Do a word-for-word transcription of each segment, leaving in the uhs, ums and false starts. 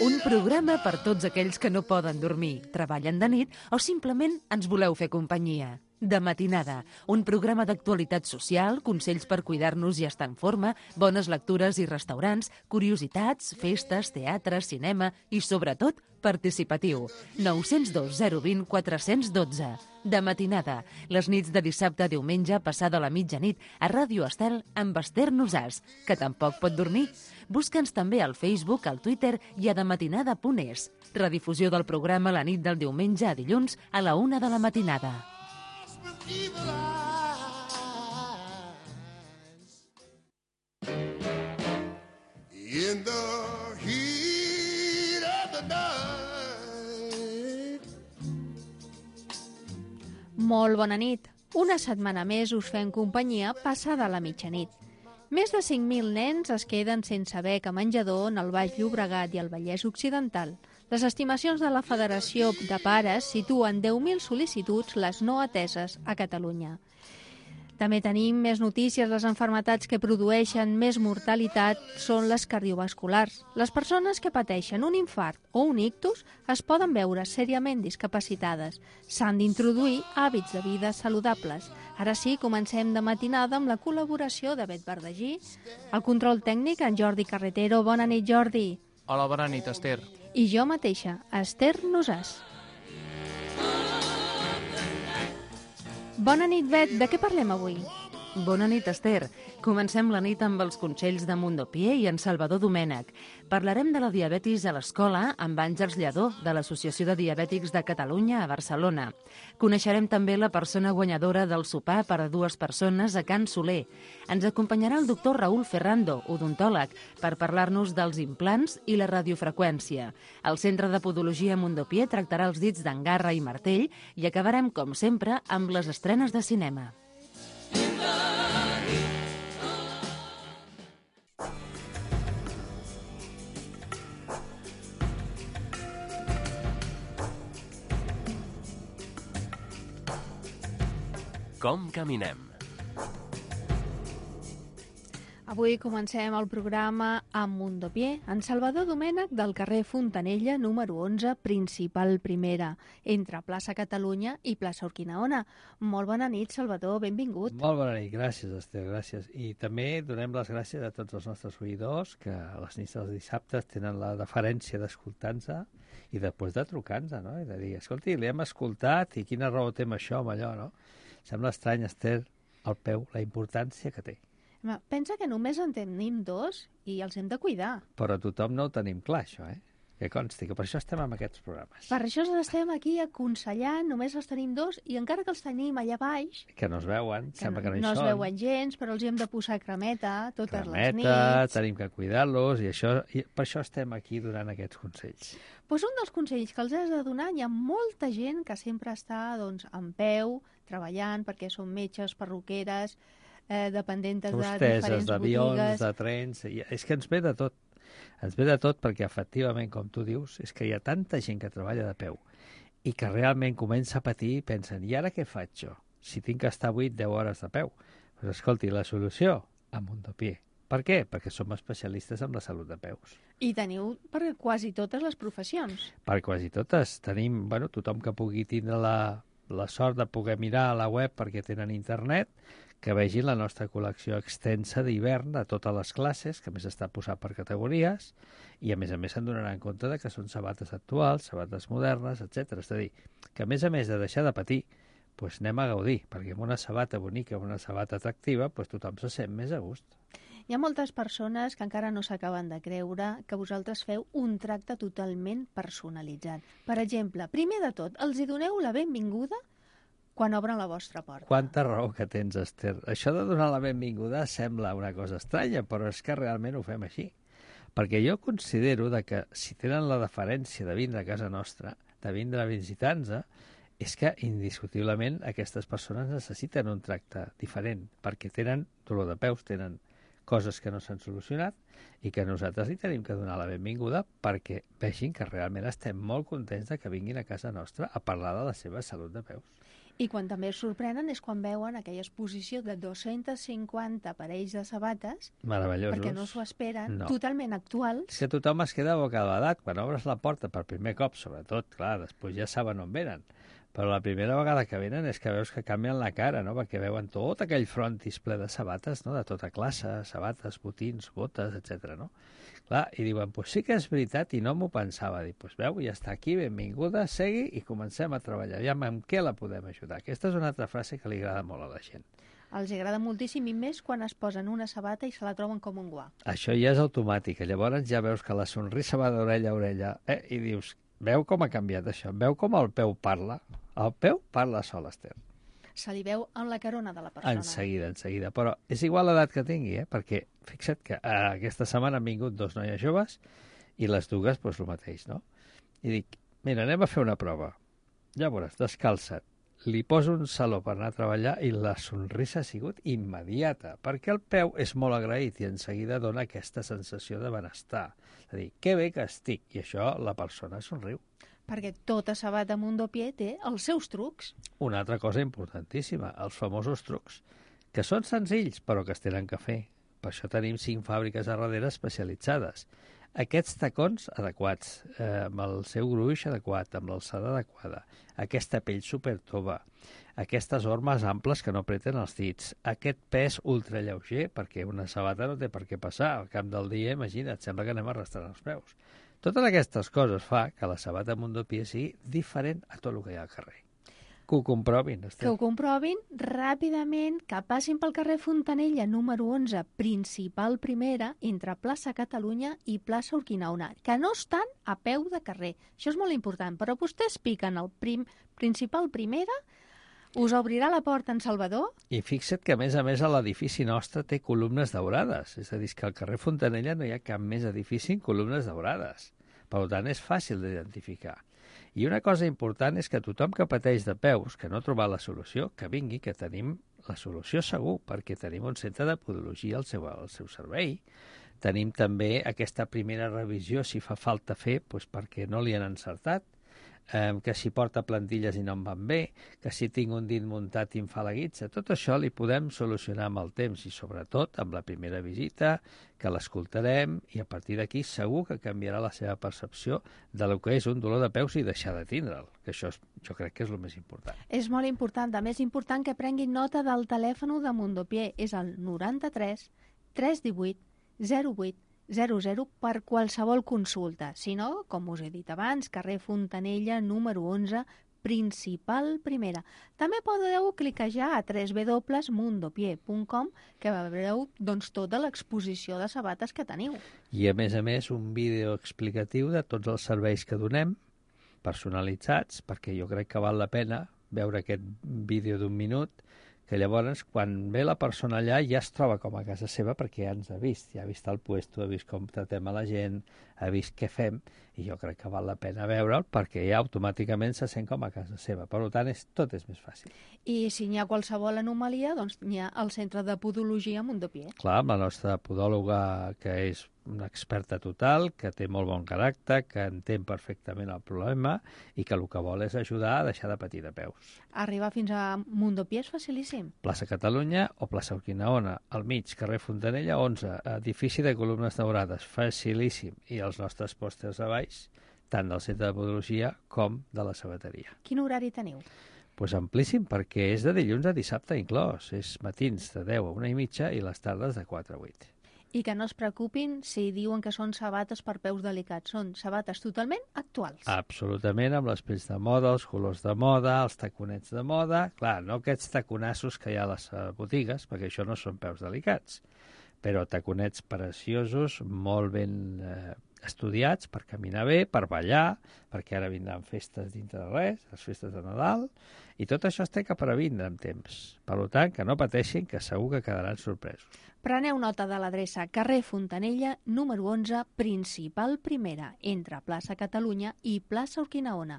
Un programa per tots aquells que no poden dormir, treballen de nit o simplement ens voleu fer companyia. De matinada, un programa d'actualitat social, consells per cuidar-nos i estar en forma, bones lectures i restaurants, curiositats, festes, teatre, cinema i, sobretot, participatiu. nou zero dos zero dos zero quatre un dos. De matinada, les nits de dissabte a diumenge passada la mitjanit a Ràdio Estel amb Ester Nosàs, que tampoc pot dormir. Busca'ns també al Facebook, al Twitter i a dematinada punt es. Redifusió del programa la nit del diumenge a dilluns a la una de la matinada. In the heat of the night. Molt bona nit. Una setmana més us fem companyia passada la mitjanit. Més de cinc mil nens es queden sense beca menjador en el Baix Llobregat i el Vallès Occidental. Les estimacions de la Federació de Pares situen deu mil sol·licituds les no ateses a Catalunya. També tenim més notícies. Les malalties que produeixen més mortalitat són les cardiovasculars. Les persones que pateixen un infart o un ictus es poden veure seriament discapacitades. S'han d'introduir hàbits de vida saludables. Ara sí, comencem de matinada amb la col·laboració de Bet Verdagí. El control tècnic, en Jordi Carretero. Bona nit, Jordi. Hola, bona nit, Ester. I jo mateixa, Ester Nosàs. Bona nit, Bet. De què parlem avui? Bona nit, Ester. Comencem la nit amb els consells de Mundopié i en Salvador Domènech. Parlarem de la diabetis a l'escola amb Àngels Lledó, de l'Associació de Diabètics de Catalunya a Barcelona. Coneixerem també la persona guanyadora del sopar per a dues persones a Can Soler. Ens acompanyarà el doctor Raúl Ferrando, odontòleg, per parlar-nos dels implants i la radiofreqüència. El Centre de Podologia Mundopié tractarà els dits d'Angarra i Martell i acabarem, com sempre, amb les estrenes de cinema. Com caminem? Avui comencem el programa amb Mundopié, en Salvador Domènech, del carrer Fontanella, número onze, principal primera, entre plaça Catalunya i plaça Urquinaona. Molt bona nit, Salvador, benvingut. Molt bona nit, gràcies, Esther, gràcies. I també donem les gràcies a tots els nostres oïdors que a les nits dels dissabtes tenen la deferència d'escoltar-nos i després de trucar-nos, no? I de dir, escolti, l'hem escoltat i quina raó té amb això, amb allò, no? Sembla estrany, Ester, al peu, la importància que té. Pensa que només en tenim dos i els hem de cuidar. Però tothom no ho tenim clar, això, eh? Que consti, que per això estem en aquests programes. Per això estem aquí aconsellant, només els tenim dos, i encara que els tenim allà baix... Que no es veuen, que sembla que no hi no són. No es veuen gens, però els hi hem de posar cremeta totes cremeta, les nits. Tenim que cuidar-los, i, això, i per això estem aquí donant aquests consells. Pues un dels consells que els has de donar, hi ha molta gent que sempre està doncs, en peu, treballant, perquè són metges, perruqueres, eh, dependentes de diferents d'avions, botigues... de trens... És que ens ve de tot. Ens ve de tot perquè, efectivament, com tu dius, és que hi ha tanta gent que treballa de peu i que realment comença a patir i pensen, i ara què faig jo? Si tinc que estar vuit deu hores de peu. Doncs escolti, la solució, a Mundopié. Per què? Perquè som especialistes en la salut de peus. I teniu per quasi totes les professions. Per quasi totes. Tenim, bueno, tothom que pugui tindre la, la sort de poder mirar a la web perquè tenen internet, que vegin la nostra col·lecció extensa d'hivern de totes les classes, que a més està posat per categories, i a més a més se'n donaran compte de que són sabates actuals, sabates modernes, etcètera. És a dir, que a més a més de deixar de patir, doncs anem a gaudir, perquè amb una sabata bonica, amb una sabata atractiva, doncs tothom se sent més a gust. Hi ha moltes persones que encara no s'acaben de creure que vosaltres feu un tracte totalment personalitzat. Per exemple, primer de tot, els hi doneu la benvinguda quan obren la vostra porta. Quanta raó que tens, Ester. Això de donar la benvinguda sembla una cosa estranya, però és que realment ho fem així. Perquè jo considero de que si tenen la deferència de vindre a casa nostra, de vindre a visitar-nos, és que indiscutiblement aquestes persones necessiten un tracte diferent, perquè tenen dolor de peus, tenen coses que no s'han solucionat i que nosaltres li tenim que donar la benvinguda perquè vegin que realment estem molt contents de que vinguin a casa nostra a parlar de la seva salut de peus. I quan també es sorprenen és quan veuen aquella exposició de dos-cents cinquanta parells de sabates, Meravellosos. perquè no s'ho esperen, No. totalment actuals. És que tothom es queda bocabadat quan obres la porta per primer cop, sobretot, clar, després ja saben on venen. Però la primera vegada que venen és que veus que canvien la cara, no? Perquè veuen tot aquell frontis ple de sabates, no? De tota classe, sabates, botins, botes, etcètera, no? Clar, i diuen, pues sí que és veritat i no m'ho pensava. Dic, pues veu, ja està aquí, benvinguda, segui i comencem a treballar. Aviam, amb què la podem ajudar? Aquesta és una altra frase que li agrada molt a la gent. Els agrada moltíssim i més quan es posen una sabata i se la troben com un guà. Això ja és automàtic. Llavors ja veus que la sonrisa va d'orella a orella eh? I dius, veu com ha canviat això? Veu com el peu parla? El peu parla sol, Esther. Se li veu en la carona de la persona. En seguida, en seguida. Però és igual l'edat que tingui, eh? Perquè fixa't que eh, aquesta setmana han vingut dos noies joves i les dues, doncs, el mateix, no? I dic, mira, anem a fer una prova. Ja veuràs, descalça't. Li poso un saló per anar a treballar i la sonrisa ha sigut immediata, perquè el peu és molt agraït i en seguida dona aquesta sensació de benestar. És a dir, que bé que estic, i això la persona somriu. Perquè tota sabata Mondopié té els seus trucs. Una altra cosa importantíssima, els famosos trucs, que són senzills però que es tenen que fer. Per això tenim cinc fàbriques a darrere especialitzades. Aquests tacons adequats, eh, amb el seu gruix adequat, amb l'alçada adequada, aquesta pell supertova, aquestes ormes amples que no apreten els dits, aquest pes ultralleuger, perquè una sabata no té per què passar. Al cap del dia, imagina't, sembla que anem arrastrant els peus. Totes aquestes coses fa que la sabata Mondopié sigui diferent a tot el que hi ha al carrer. Que ho comprovin, Esther. Que ho comprovin ràpidament, que passin pel carrer Fontanella número onze, principal primera, entre plaça Catalunya i plaça Urquinaona, que no estan a peu de carrer. Això és molt important, però vostès piquen el prim, principal primera, us obrirà la porta en Salvador. I fixa't que, a més a més, l'edifici nostre té columnes daurades. És a dir, que al carrer Fontanella no hi ha cap més edifici amb columnes daurades. Per tant, és fàcil d'identificar. I una cosa important és que tothom que pateix de peus, que no ha trobat la solució, que vingui, que tenim la solució segur, perquè tenim un centre de podologia al seu, al seu servei. Tenim també aquesta primera revisió, si fa falta fer, doncs perquè no li han encertat, eh, que si porta plantilles i no em van bé, que si tinc un dit muntat i em fa la guitza. Tot això li podem solucionar amb el temps i sobretot amb la primera visita, que l'escoltarem i a partir d'aquí segur que canviarà la seva percepció de lo que és un dolor de peus i deixar de tindre'l, que això és, jo crec que és el més important. És molt important, també és important que prenguin nota del telèfon de Mondopié, és el noranta-tres tres divuit zero vuit zero zero per qualsevol consulta. Si no, com us he dit abans, carrer Fontanella número onze, principal primera. També podeu cliquejar a w w w punt mondopié punt com que veureu doncs, tota l'exposició de sabates que teniu. I a més a més un vídeo explicatiu de tots els serveis que donem, personalitzats, perquè jo crec que val la pena veure aquest vídeo d'un minut, que llavors, quan ve la persona allà, ja es troba com a casa seva perquè ja ens ha vist, ja ha vist el puesto, ha vist com tratem a la gent, ha vist què fem, i jo crec que val la pena veure'l perquè ja automàticament se sent com a casa seva. Per tant, és, tot és més fàcil. I si n'hi ha qualsevol anomalia, doncs n'hi ha el Centre de Podologia Mondopié. Clar, amb la nostra podòloga, que és una experta total, que té molt bon caràcter, que entén perfectament el problema i que el que vol és ajudar a deixar de patir de peus. Arribar fins a Mondopié és facilíssim. Plaça Catalunya o plaça Urquinaona, al mig, carrer Fontanella onze, edifici de columnes daurades, facilíssim. I els nostres pòsters a baix, tant del centre de podologia com de la sabateria. Quin horari teniu? Pues amplíssim, perquè és de dilluns a dissabte inclòs. És matins de deu a una i mitja i les tardes de quatre a vuit. I que no es preocupin si diuen que són sabates per peus delicats. Són sabates totalment actuals. Absolutament, amb les pells de moda, els colors de moda, els taconets de moda. Clar, no aquests taconassos que hi ha a les botigues, perquè això no són peus delicats, però taconets preciosos, molt ben eh, estudiats per caminar bé, per ballar, perquè ara vindran festes dintre de res, les festes de Nadal, i tot això es té que previndre amb temps. Per tant, que no pateixin, que segur que quedaran sorpresos. Preneu nota de l'adreça carrer Fontanella, número onze, principal primera, entre plaça Catalunya i plaça Urquinaona.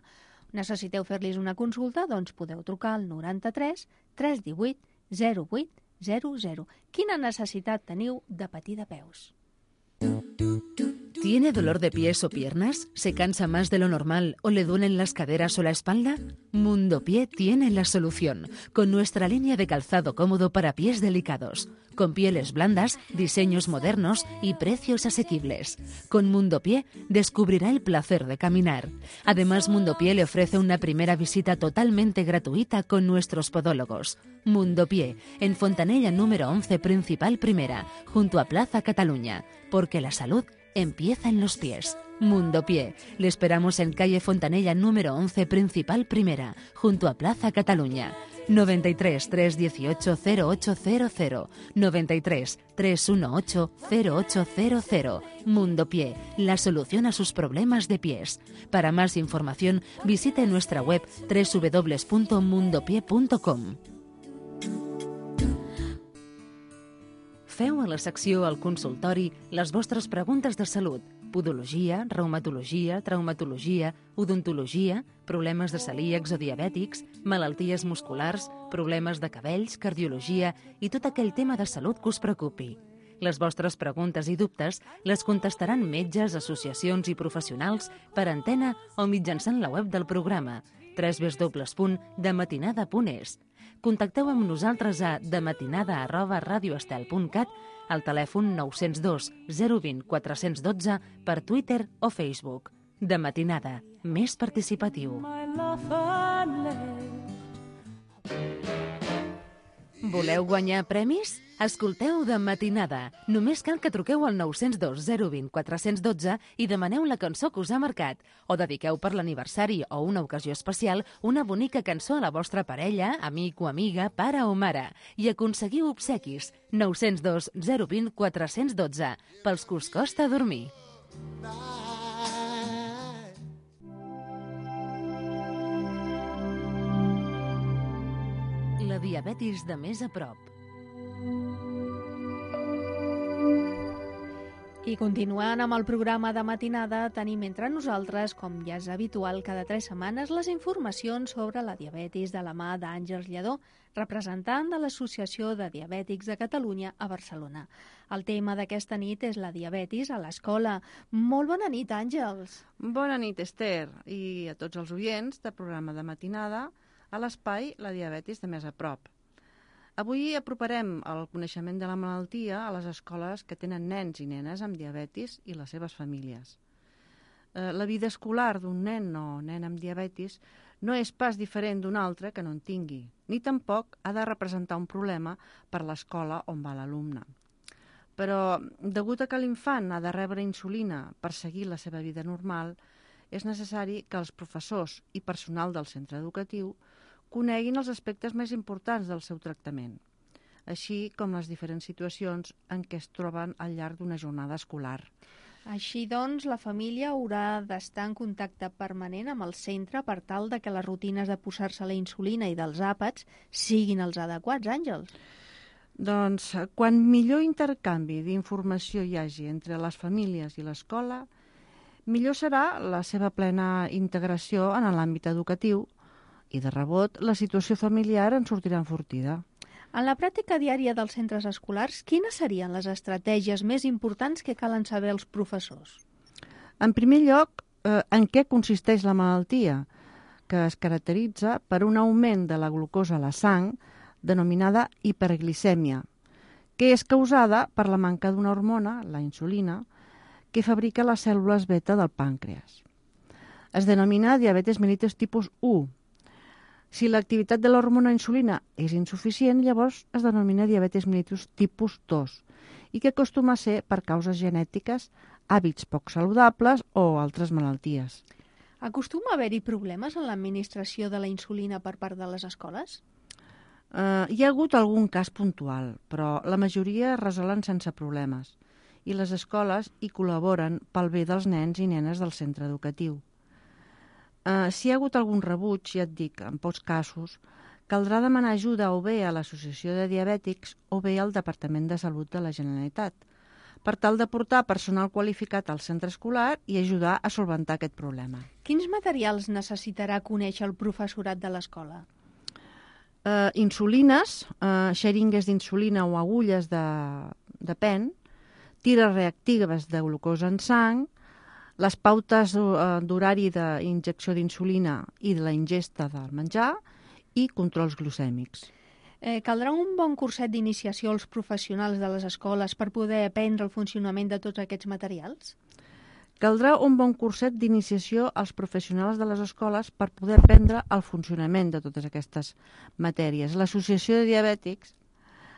Necessiteu fer-los una consulta? Doncs podeu trucar al noranta-tres tres divuit zero vuit zero zero. Quina necessitat teniu de patir de peus? ¿Tiene dolor de pies o piernas? ¿Se cansa más de lo normal o le duelen las caderas o la espalda? Mundo Pie tiene la solución, con nuestra línea de calzado cómodo para pies delicados, con pieles blandas, diseños modernos y precios asequibles. Con Mundo Pie descubrirá el placer de caminar. Además, Mundo Pie le ofrece una primera visita totalmente gratuita con nuestros podólogos. Mundo Pie, en Fontanella número once Principal Primera, junto a Plaza Cataluña, porque la salud empieza en los pies. Mundo Pie. Le esperamos en calle Fontanella número once Principal Primera, junto a Plaza Cataluña. noventa y tres, trescientos dieciocho, cero ocho cero cero. noventa y tres, trescientos dieciocho, cero ocho cero cero. Mundo Pie, la solución a sus problemas de pies. Para más información, visite nuestra web doble u doble u doble u punto mundo pie punto com. Feu a la secció al consultori les vostres preguntes de salut, podologia, reumatologia, traumatologia, odontologia, problemes de celíacs o diabètics, malalties musculars, problemes de cabells, cardiologia i tot aquell tema de salut que us preocupi. Les vostres preguntes i dubtes les contestaran metges, associacions i professionals per antena o mitjançant la web del programa doble u doble u doble u punt dematinada punt es. Contacteu amb nosaltres a dematinada arroba radioestel punt cat, al telèfon nou zero dos, zero dos zero, quatre un dos per Twitter o Facebook. De Matinada, més participatiu. Voleu guanyar premis? Escolteu De Matinada. Només cal que truqueu al nou zero dos, zero dos zero, quatre un dos i demaneu la cançó que us ha marcat. O dediqueu per l'aniversari o una ocasió especial una bonica cançó a la vostra parella, amic o amiga, pare o mare. I aconseguiu obsequis. nou zero dos, zero dos zero, quatre un dos. Pels que us costa dormir. La diabetis de més a prop. I continuant amb el programa de matinada, tenim entre nosaltres, com ja és habitual cada tres setmanes, les informacions sobre la diabetis de la mà d'Àngels Lledó, representant de l'Associació de Diabètics de Catalunya a Barcelona. El tema d'aquesta nit és la diabetis a l'escola. Molt bona nit, Àngels. Bona nit, Esther, i a tots els oients del programa de matinada a l'espai La diabetis de més a prop. Avui aproparem el coneixement de la malaltia a les escoles que tenen nens i nenes amb diabetis i les seves famílies. Eh, la vida escolar d'un nen o nena amb diabetis no és pas diferent d'un altre que no en tingui, ni tampoc ha de representar un problema per l'escola on va l'alumne. Però, degut a que l'infant ha de rebre insulina per seguir la seva vida normal, és necessari que els professors i personal del centre educatiu coneguin els aspectes més importants del seu tractament, així com les diferents situacions en què es troben al llarg d'una jornada escolar. Així doncs, la família haurà d'estar en contacte permanent amb el centre per tal de que les rutines de posar-se la insulina i dels àpats siguin els adequats, Àngels. Doncs, quan millor intercanvi d'informació hi hagi entre les famílies i l'escola, millor serà la seva plena integració en l'àmbit educatiu, i de rebot la situació familiar en sortirà enfortida. En la pràctica diària dels centres escolars, quines serien les estratègies més importants que calen saber els professors? En primer lloc, eh, en què consisteix la malaltia, que es caracteritza per un augment de la glucosa a la sang, denominada hiperglicèmia, que és causada per la manca d'una hormona, la insulina, que fabrica les cèl·lules beta del pàncreas. Es denomina diabetis mellitus tipus u. Si l'activitat de l'hormona insulina és insuficient, llavors es denomina diabetis mellitus tipus dos i que acostuma a ser per causes genètiques, hàbits poc saludables o altres malalties. Acostuma a haver-hi problemes en l'administració de la insulina per part de les escoles? Uh, hi ha hagut algun cas puntual, però la majoria es resolen sense problemes i les escoles hi col·laboren pel bé dels nens i nenes del centre educatiu. Uh, si hi ha hagut algun rebuig, ja et dic, en pocs casos, caldrà demanar ajuda o bé a l'Associació de Diabètics o bé al Departament de Salut de la Generalitat, per tal de portar personal qualificat al centre escolar i ajudar a solventar aquest problema. Quins materials necessitarà conèixer el professorat de l'escola? Uh, insulines, uh, xeringues d'insulina o agulles de, de pen, tires reactives de glucosa en sang, les pautes d'horari d'injecció d'insulina i de la ingesta del menjar i controls glucèmics. Eh, caldrà un bon curset d'iniciació als professionals de les escoles per poder aprendre el funcionament de tots aquests materials? Caldrà un bon curset d'iniciació als professionals de les escoles per poder aprendre el funcionament de totes aquestes matèries. L'Associació de Diabètics,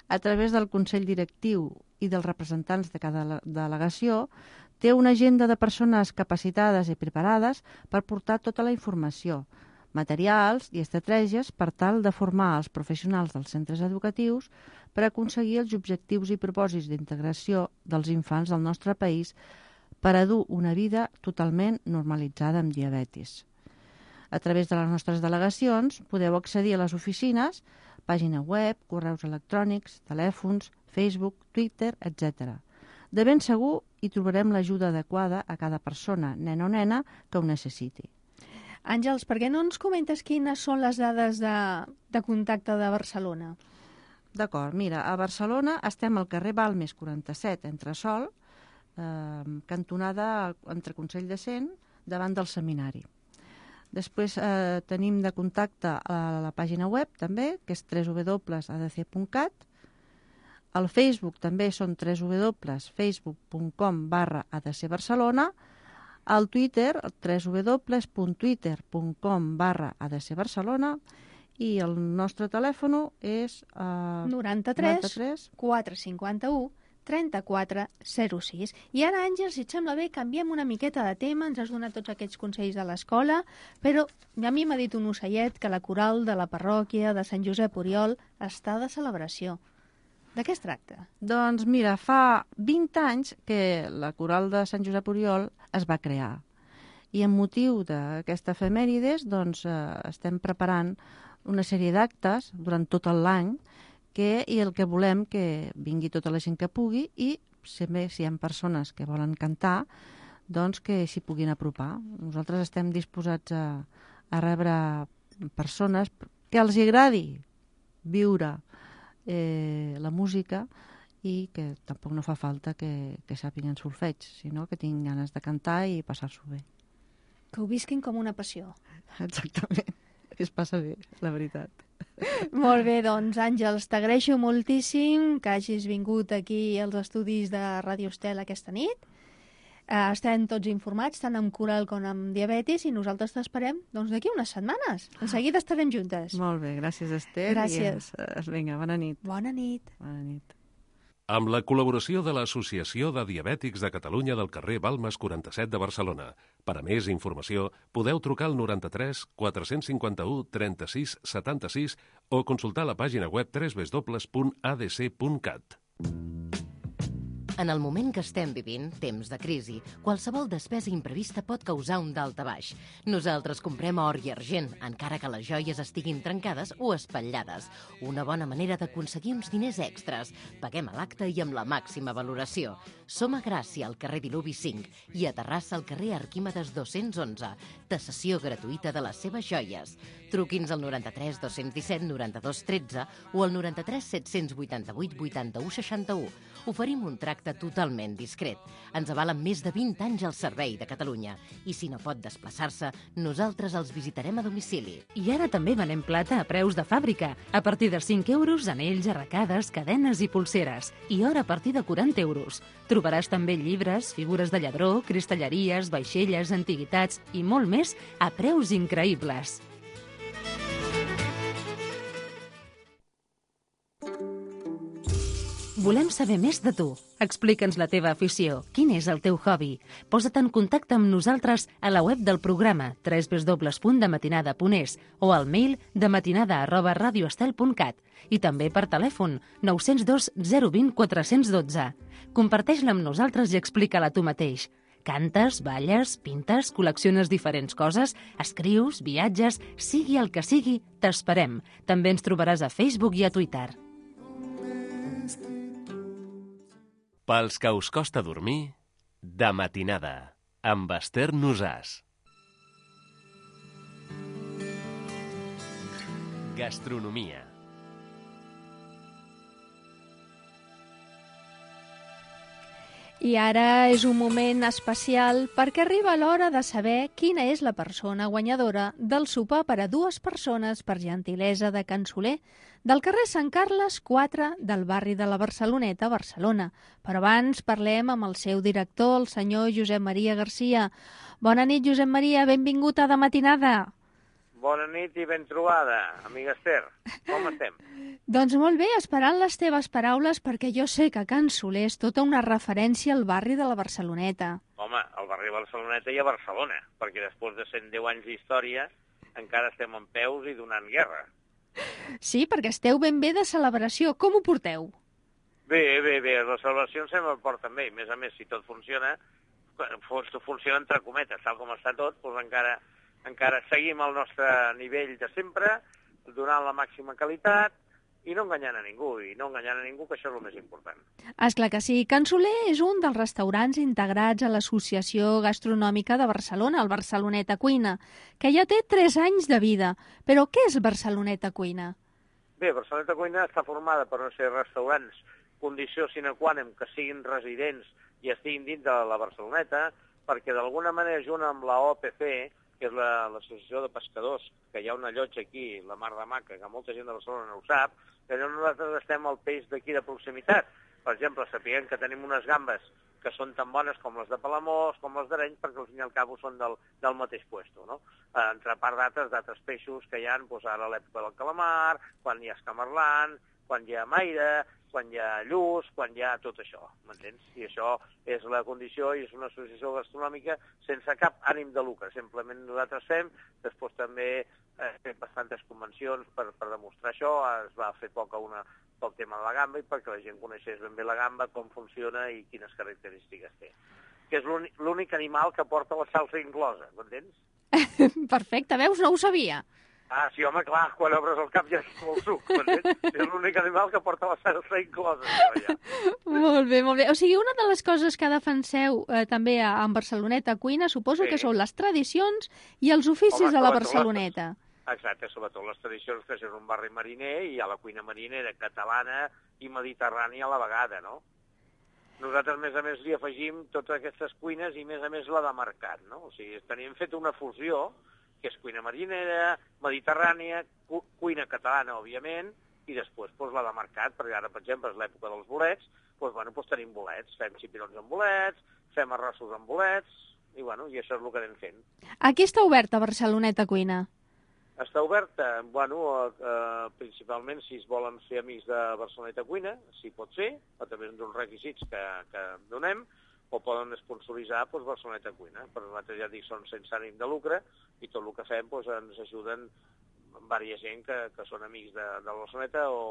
a través del Consell Directiu i dels representants de cada delegació, té una agenda de persones capacitades i preparades per portar tota la informació, materials i estratègies per tal de formar els professionals dels centres educatius per aconseguir els objectius i propòsits d'integració dels infants del nostre país per a dur una vida totalment normalitzada amb diabetis. A través de les nostres delegacions podeu accedir a les oficines, pàgina web, correus electrònics, telèfons, Facebook, Twitter, etcètera. De ben segur hi trobarem l'ajuda adequada a cada persona, nen o nena, que ho necessiti. Àngels, per què no ens comentes quines són les dades de, de contacte de Barcelona? D'acord, mira, a Barcelona estem al carrer Balmes quaranta-set, entre Sol, eh, cantonada entre Consell de Cent, davant del seminari. Després eh, tenim de contacte a la pàgina web també, que és w w w punt a d c punt cat. El Facebook també són w w w punt facebook punt com barra a d c barcelona. Al Twitter, w w w punt twitter punt com barra a d c barcelona, i el nostre telèfon és eh, noranta-tres quatre cinquanta-u trenta-quatre zero sis. I ara, Àngels, si et sembla bé, canviem una miqueta de tema, ens has donat tots aquests consells de l'escola, però a mi m'ha dit un ocellet que la coral de la parròquia de Sant Josep Oriol està de celebració. De què es tracta? Doncs mira, fa vint anys que la coral de Sant Josep Oriol es va crear. I amb motiu d'aquesta efemèrides doncs, eh, estem preparant una sèrie d'actes durant tot l'any que, i el que volem que vingui tota la gent que pugui i sempre si hi ha persones que volen cantar doncs que s'hi puguin apropar. Nosaltres estem disposats a, a rebre persones que els agradi viure Eh, la música i que tampoc no fa falta que, que sàpiguen solfeig, sinó que tinguin ganes de cantar i passar-s'ho bé. Que ho visquin com una passió. Exactament, es passa bé, la veritat. Molt bé, doncs Àngels, t'agraeixo moltíssim que hagis vingut aquí als estudis de Ràdio Estel aquesta nit. Uh, estem tots informats, tant amb coral com amb diabetis, i nosaltres t'esperem doncs, d'aquí unes setmanes. En seguida estarem juntes. Molt bé, gràcies, Esther. Gràcies. I, uh, vinga, bona nit. Bona nit. Bona nit. Amb la col·laboració de l'Associació de Diabètics de Catalunya del carrer Balmes quaranta-set de Barcelona. Per a més informació, podeu trucar al noranta-tres quatre cinquanta-u trenta-sis setanta-sis o consultar la pàgina web w w w punt a d c punt cat. En el moment que estem vivint, temps de crisi, qualsevol despesa imprevista pot causar un daltabaix. Nosaltres comprem or i argent, encara que les joies estiguin trencades o espatllades. Una bona manera d'aconseguir uns diners extras. Paguem a l'acte i amb la màxima valoració. Som a Gràcia, al carrer Diluvi cinc, i a Terrassa, al carrer Arquímedes dos-cents onze. Tasació gratuïta de les seves joies. Truqui'ns al noranta-tres dos-cents disset noranta-dos tretze o al noranta-tres set-cents vuitanta-vuit vuitanta-u seixanta-u. Oferim un tracte totalment discret. Ens avalen més de vint anys al servei de Catalunya. I si no pot desplaçar-se, nosaltres els visitarem a domicili. I ara també venem plata a preus de fàbrica. A partir de cinc euros, anells, arracades, cadenes i pulseres. I or a partir de quaranta euros. Trobaràs també llibres, figures de lladró, cristalleries, vaixelles, antiguitats i molt més a preus increïbles. Volem saber més de tu. Explica'ns la teva afició. Quin és el teu hobby? Posa't en contacte amb nosaltres a la web del programa w w w punt dematinada punt es o al mail dematinada arroba radioestel punt cat i també per telèfon nou zero dos zero dos zero quatre un dos. Comparteix-la amb nosaltres i explica-la tu mateix. Cantes, balles, pintes, col·lecciones diferents coses, escrius, viatges, sigui el que sigui, t'esperem. També ens trobaràs a Facebook i a Twitter. Pels que us costa dormir, de matinada, amb Esther Nosàs. Gastronomia. I ara és un moment especial perquè arriba l'hora de saber quina és la persona guanyadora del sopar per a dues persones per gentilesa de Can Soler, del carrer Sant Carles quatre del barri de la Barceloneta, Barcelona. Però abans parlem amb el seu director, el senyor Josep Maria Garcia. Bona nit, Josep Maria, benvingut a De Matinada. Bona nit i ben trobada, amiga Esther. Com estem? Doncs molt bé, esperant les teves paraules, perquè jo sé que Can Soler és tota una referència al barri de la Barceloneta. Home, al barri de Barceloneta i a Barcelona, perquè després de cent deu anys d'història encara estem en peus i donant guerra. Sí, perquè esteu ben bé de celebració. Com ho porteu? Bé, bé, bé, les celebracions sempre porten bé. A més a més, si tot funciona, funciona entre cometes, tal com està tot, doncs encara, encara seguim al nostre nivell de sempre, donant la màxima qualitat, i no enganyant a ningú, i no enganyant a ningú, que això és el més important. Esclar que sí. Can Soler és un dels restaurants integrats a l'Associació Gastronòmica de Barcelona, el Barceloneta Cuina, que ja té tres anys de vida. Però què és Barceloneta Cuina? Bé, Barceloneta Cuina està formada per no ser restaurants, condició sine qua non que siguin residents i estiguin dins de la Barceloneta, perquè d'alguna manera, junt amb la O P C, que és l'Associació de Pescadors, que hi ha una llotja aquí, la Mar de Maca, que molta gent de Barcelona no ho sap, que nosaltres estem al peix d'aquí de proximitat. Per exemple, sapiguem que tenim unes gambes que són tan bones com les de Palamós, com les d'Arenys, perquè al fin i al cabo són del, del mateix puesto, no? Entre part d'altres, d'altres peixos que hi ha, doncs, ara a l'època del calamar, quan hi ha escamarlant, quan hi ha maire, quan hi ha lluç, quan hi ha tot això, m'entens? I això és la condició i és una associació gastronòmica sense cap ànim de lucre. Simplement nosaltres fem, després també eh, fem bastantes convencions per, per demostrar això. Es va fer poc a una pel tema de la gamba i perquè la gent coneixés ben bé la gamba, com funciona i quines característiques té. Que és l'únic animal que porta la salsa inclosa, m'entens? Perfecte, veus? No ho sabia. Ah, sí, home, clar, quan obres el cap ja és molt suc, m'entens? És l'únic animal que porta la salsa inclosa. Ja. Molt bé, molt bé. O sigui, una de les coses que defenseu eh, també a, a Barceloneta Cuina, suposo sí. que són les tradicions i els oficis home, de la Barceloneta. Les... Exacte, sobretot les tradicions, que és un barri mariner i hi ha la cuina marinera catalana i mediterrània a la vegada, no? Nosaltres, a més a més, li afegim totes aquestes cuines i, a més a més, la de mercat, no? O sigui, tenim fet una fusió que és cuina marinera, mediterrània, cu cuina catalana, òbviament, i després doncs, la de mercat, perquè ara, per exemple, és l'època dels bolets, doncs, bueno, doncs tenim bolets, fem xipirons amb bolets, fem arrossos amb bolets, i, bueno, i això és el que anem fent. Aquí està oberta Barceloneta Cuina? Està oberta, bueno, eh, principalment si es volen ser amics de Barceloneta Cuina, si pot ser, a través d'uns requisits que, que donem, o poden sponsoritzar doncs, Barceloneta Cuina. Però nosaltres ja dic, són sense ànim de lucre i tot el que fem doncs, ens ajuden diversa gent que, que són amics de, de Barceloneta o...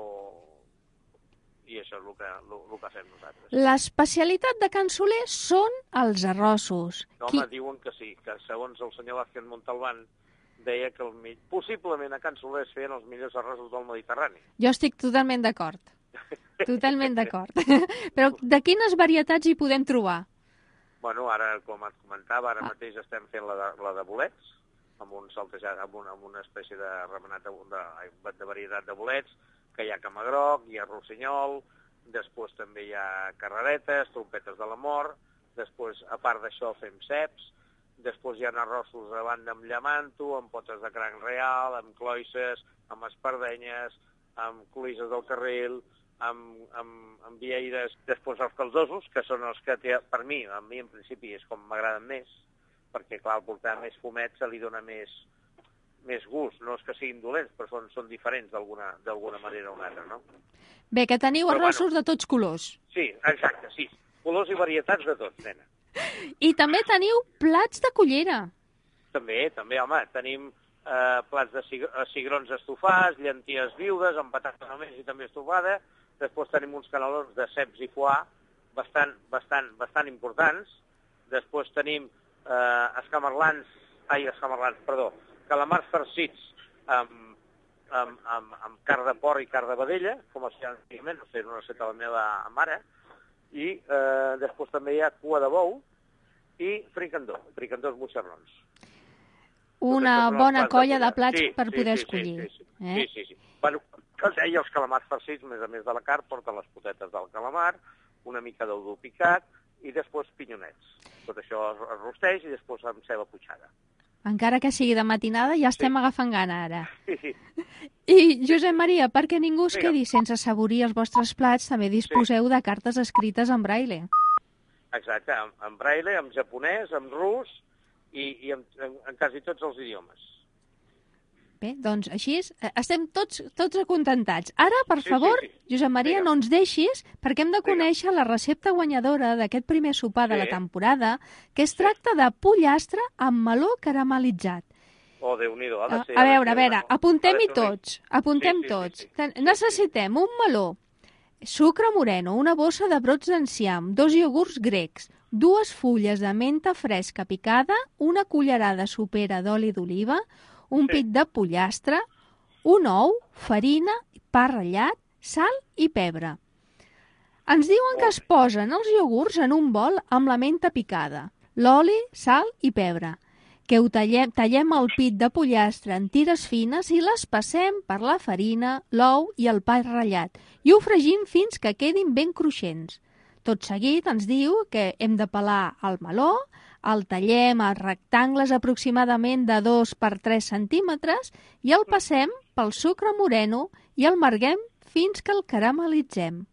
i això és el que, el, el que fem nosaltres. L'especialitat de Can Soler són els arrossos. No, home, Qui... diuen que sí, que segons el senyor Vázquez Montalbán deia que el, possiblement a Can Soler es feien els millors arrossos del Mediterrani. Jo estic totalment d'acord. Totalment d'acord. Però de quines varietats hi podem trobar? Bueno, ara, com et comentava, ara ah. mateix estem fent la de, la de bolets, amb un saltejat, amb una, amb una espècie de remenat de, de, de varietat de bolets, que hi ha camagroc, hi ha rossinyol, després també hi ha carreretes, trompetes de l'amor, després, a part d'això, fem ceps, després hi ha arrossos a banda amb llamanto, amb potes de cranc real, amb cloïsses, amb espardenyes, amb cloïsses del carril, amb, amb, amb vieires, després els caldosos, que són els que té, per mi, a mi en principi és com m'agraden més, perquè clar, al portar més fumet se li dona més, més gust, no és que siguin dolents, però són, són diferents d'alguna manera o una altra, no? Bé, que teniu però, arrossos bueno, de tots colors. Sí, exacte, sí, colors i varietats de tots, nena. I també teniu plats de cullera. També, també, home, tenim eh, plats de cigrons estofats, llenties viudes, amb patata només i també estofada. Després tenim uns canelons de ceps i foie bastant, bastant, bastant importants. Després tenim eh, escamarlans, ai, escamarlans, perdó, calamars farcits amb, amb, amb, amb carn de porc i carn de vedella, com es feia antigament, no sé, una recepta de la meva mare. I eh, després també hi ha cua de bou i fricandó, fricandós moixerrons. Una bona colla de plats sí, per poder sí, escollir. Sí, sí, sí. Eh? sí, sí, sí. Bueno, i els calamars farcits, a més a més de la carn, porten les potetes del calamar, una mica d'udó picat i després pinyonets. Tot això es, es rosteix i després amb ceba putxada. Encara que sigui de matinada, ja estem sí. agafant gana ara. Sí, sí. I, Josep Maria, perquè ningú es Vinga. quedi sense assaborir els vostres plats, també disposeu sí. de cartes escrites en braille. Exacte, en, en braille, en japonès, en rus i, i en, en, en quasi tots els idiomes. Bé, doncs així estem tots tots acontentats. Ara, per sí, favor, sí, sí. Josep Maria, Vinga. no ens deixis, perquè hem de conèixer Vinga. la recepta guanyadora d'aquest primer sopar sí. de la temporada, que es sí. tracta de pollastre amb meló caramelitzat. Oh, Déu-n'hi-do, ha de ser... A veure, a veure, una... apuntem-hi tots, apuntem sí, sí, tots. Sí, sí, sí. Necessitem un meló, sucre moreno, una bossa de brots d'enciam, dos iogurts grecs, dues fulles de menta fresca picada, una cullerada sopera d'oli d'oliva, un sí. pit de pollastre, un ou, farina, pa ratllat, sal i pebre. Ens diuen que es posen els iogurts en un bol amb la menta picada, l'oli, sal i pebre, que ho tallem, tallem el pit de pollastre en tires fines i les passem per la farina, l'ou i el pa ratllat i ho fregim fins que quedin ben cruixents. Tot seguit ens diu que hem de pelar el meló, el tallem a rectangles aproximadament de dos per tres centímetres i el passem pel sucre moreno i el marguem fins que el caramelitzem.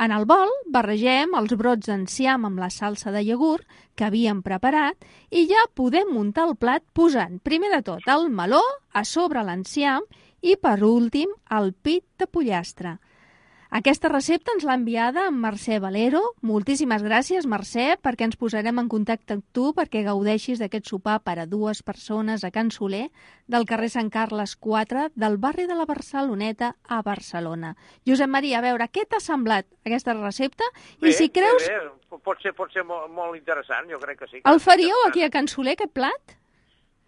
En el bol barregem els brots d'enciam amb la salsa de iogurt que havíem preparat i ja podem muntar el plat posant primer de tot el meló a sobre l'enciam i per últim el pit de pollastre. Aquesta recepta ens l'ha enviada en Mercè Valero. Moltíssimes gràcies, Mercè, perquè ens posarem en contacte amb tu perquè gaudeixis d'aquest sopar per a dues persones a Can Soler, del carrer Sant Carles quatre, del barri de la Barceloneta a Barcelona. Josep Maria, a veure, què t'ha semblat aquesta recepta? Bé, I si creus... bé, bé. Pot ser, pot ser molt, molt interessant, jo crec que sí. Que el faríeu aquí a Can Soler, aquest plat?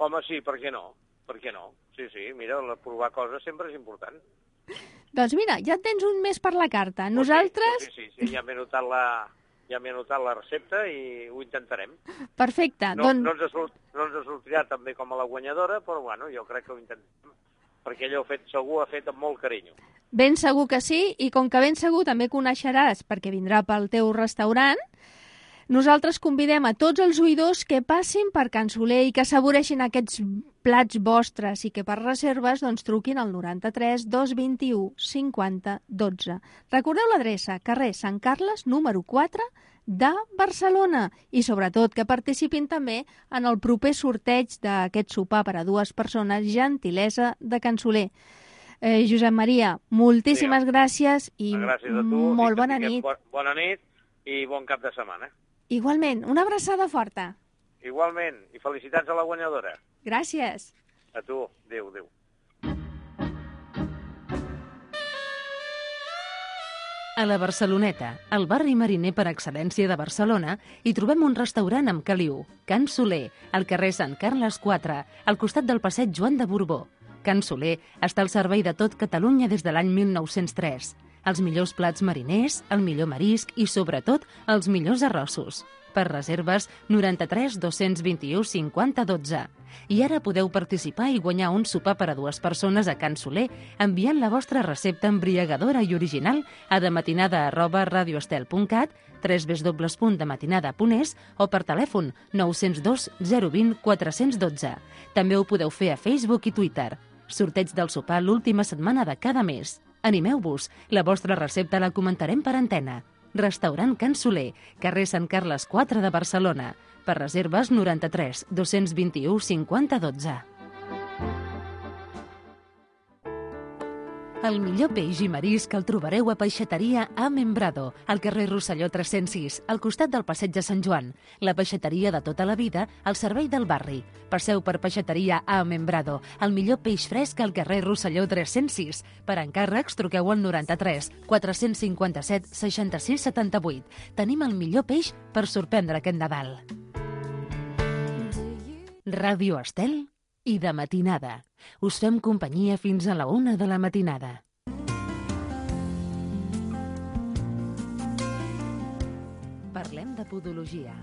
Home, sí, per què no? Per què no? Sí, sí, mira, provar coses sempre és important. Doncs mira, ja tens un mes per la carta. Nosaltres... Sí, sí, sí, sí. Ja m'he notat la... Ja m'he notat la recepta i ho intentarem. Perfecte. No, doncs... no, ens sort, no ens sortirà també com a la guanyadora, però bueno, jo crec que ho intentem, perquè ella ho ha fet, segur ha fet amb molt carinyo. Ben segur que sí, i com que ben segur també coneixeràs, perquè vindrà pel teu restaurant, nosaltres convidem a tots els oïdors que passin per Can Soler i que assaboreixin aquests plats vostres i que per reserves doncs, truquin al noranta-tres dos vint-i-u cinquanta dotze. Recordeu l'adreça, carrer Sant Carles, número quatre, de Barcelona. I sobretot que participin també en el proper sorteig d'aquest sopar per a dues persones, gentilesa de Can Soler. Eh, Josep Maria, moltíssimes sí, gràcies i gràcies a tu, molt i bona nit. Bona nit i bon cap de setmana. Igualment, una abraçada forta. Igualment, i felicitats a la guanyadora. Gràcies. A tu, adéu, adéu. A la Barceloneta, el barri mariner per excel·lència de Barcelona, hi trobem un restaurant amb caliu, Can Soler, al carrer Sant Carles quatre, al costat del passeig Joan de Borbó. Can Soler està al servei de tot Catalunya des de l'any mil nou-cents tres. Els millors plats mariners, el millor marisc i, sobretot, els millors arrossos. Per reserves, noranta-tres dos vint-i-u cinquanta dotze. I ara podeu participar i guanyar un sopar per a dues persones a Can Soler enviant la vostra recepta embriagadora i original a dematinada arroba radioestel punt cat, w w w punt dematinada punt es o per telèfon nou zero dos zero dos zero quatre un dos. També ho podeu fer a Facebook i Twitter. Sorteig del sopar l'última setmana de cada mes. Animeu-vos, la vostra recepta la comentarem per antena. Restaurant Can Soler, carrer Sant Carles quatre de Barcelona. Per reserves noranta-tres dos vint-i-u cinquanta dotze. El millor peix i marisc el trobareu a Peixateria A Membrado, al carrer Rosselló tres-cents sis, al costat del passeig de Sant Joan. La peixateria de tota la vida, al servei del barri. Passeu per Peixateria A Membrado, el millor peix fresc al carrer Rosselló tres-cents sis. Per encàrrecs, truqueu al noranta-tres quatre cinquanta-set seixanta-sis setanta-vuit. Tenim el millor peix per sorprendre aquest Nadal. Ràdio Estel i de matinada. Us fem companyia fins a la una de la matinada. Parlem de podologia.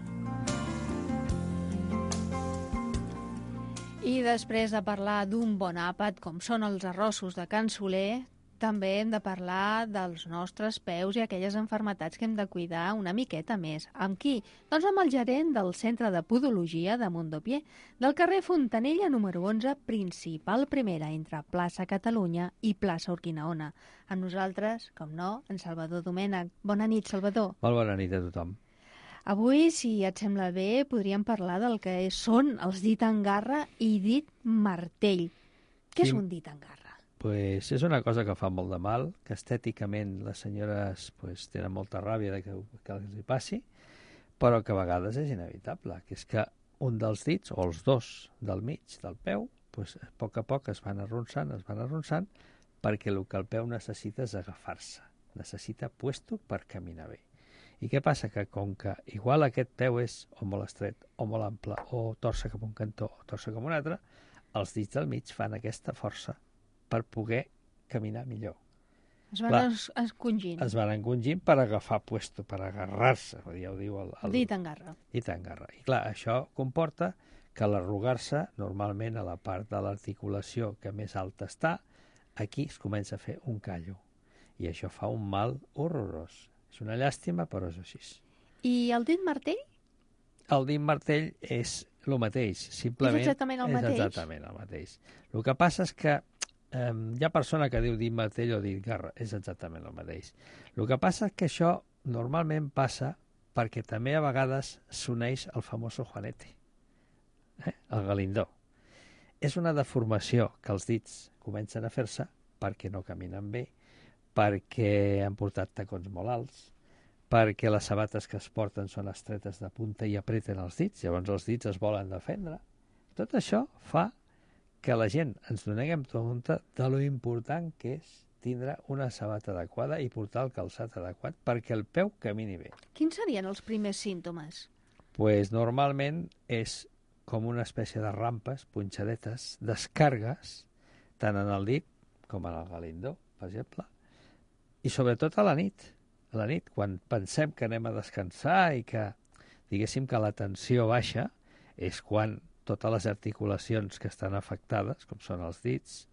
I després de parlar d'un bon àpat, com són els arrossos de Can Soler, També hem de parlar dels nostres peus i aquelles malalties que hem de cuidar una miqueta més. Amb qui? Doncs amb el gerent del Centre de Podologia de Mondopié, del carrer Fontanella número onze, principal primera, entre plaça Catalunya i plaça Urquinaona. Amb nosaltres, com no, en Salvador Domènech. Bona nit, Salvador. Molt bona nit a tothom. Avui, si et sembla bé, podríem parlar del que són els dit en garra i dit martell. Què és un dit en garra? Pues és una cosa que fa molt de mal, que estèticament les senyores pues, tenen molta ràbia de que, que els hi passi, però que a vegades és inevitable, que és que un dels dits, o els dos del mig del peu, pues, a poc a poc es van arronsant, es van arronsant, perquè el que el peu necessita és agafar-se, necessita puesto per caminar bé. I què passa? Que com que igual aquest peu és o molt estret, o molt ample, o torça cap un cantó, o torça cap un altre, els dits del mig fan aquesta força per poder caminar millor. Es van Clar, encongint. Es van encongint per agafar puesto, per agarrar-se, ja ho diu el, el... Dit en garra. Dit en garra. I clar, això comporta que l'arrugar-se, normalment a la part de l'articulació que més alta està, aquí es comença a fer un callo. I això fa un mal horrorós. És una llàstima, però és així. I el dit martell? El dit martell és el mateix. Simplement és exactament el mateix? És exactament el mateix. El que passa és que Um, hi ha persona que diu dit martell o dit garra, és exactament el mateix. El que passa és que això normalment passa perquè també a vegades s'uneix el famoso juanete, eh? el galindó. És una deformació que els dits comencen a fer-se perquè no caminen bé, perquè han portat tacons molt alts, perquè les sabates que es porten són estretes de punta i apreten els dits, llavors els dits es volen defendre. Tot això fa que la gent ens donem compte de lo important que és tindre una sabata adequada i portar el calçat adequat perquè el peu camini bé. Quins serien els primers símptomes? Pues normalment és com una espècie de rampes, punxadetes, descargues, tant en el dit com en el galindó, per exemple, i sobretot a la nit. A la nit, quan pensem que anem a descansar i que, diguéssim, que la tensió baixa, és quan totes les articulacions que estan afectades, com són els dits,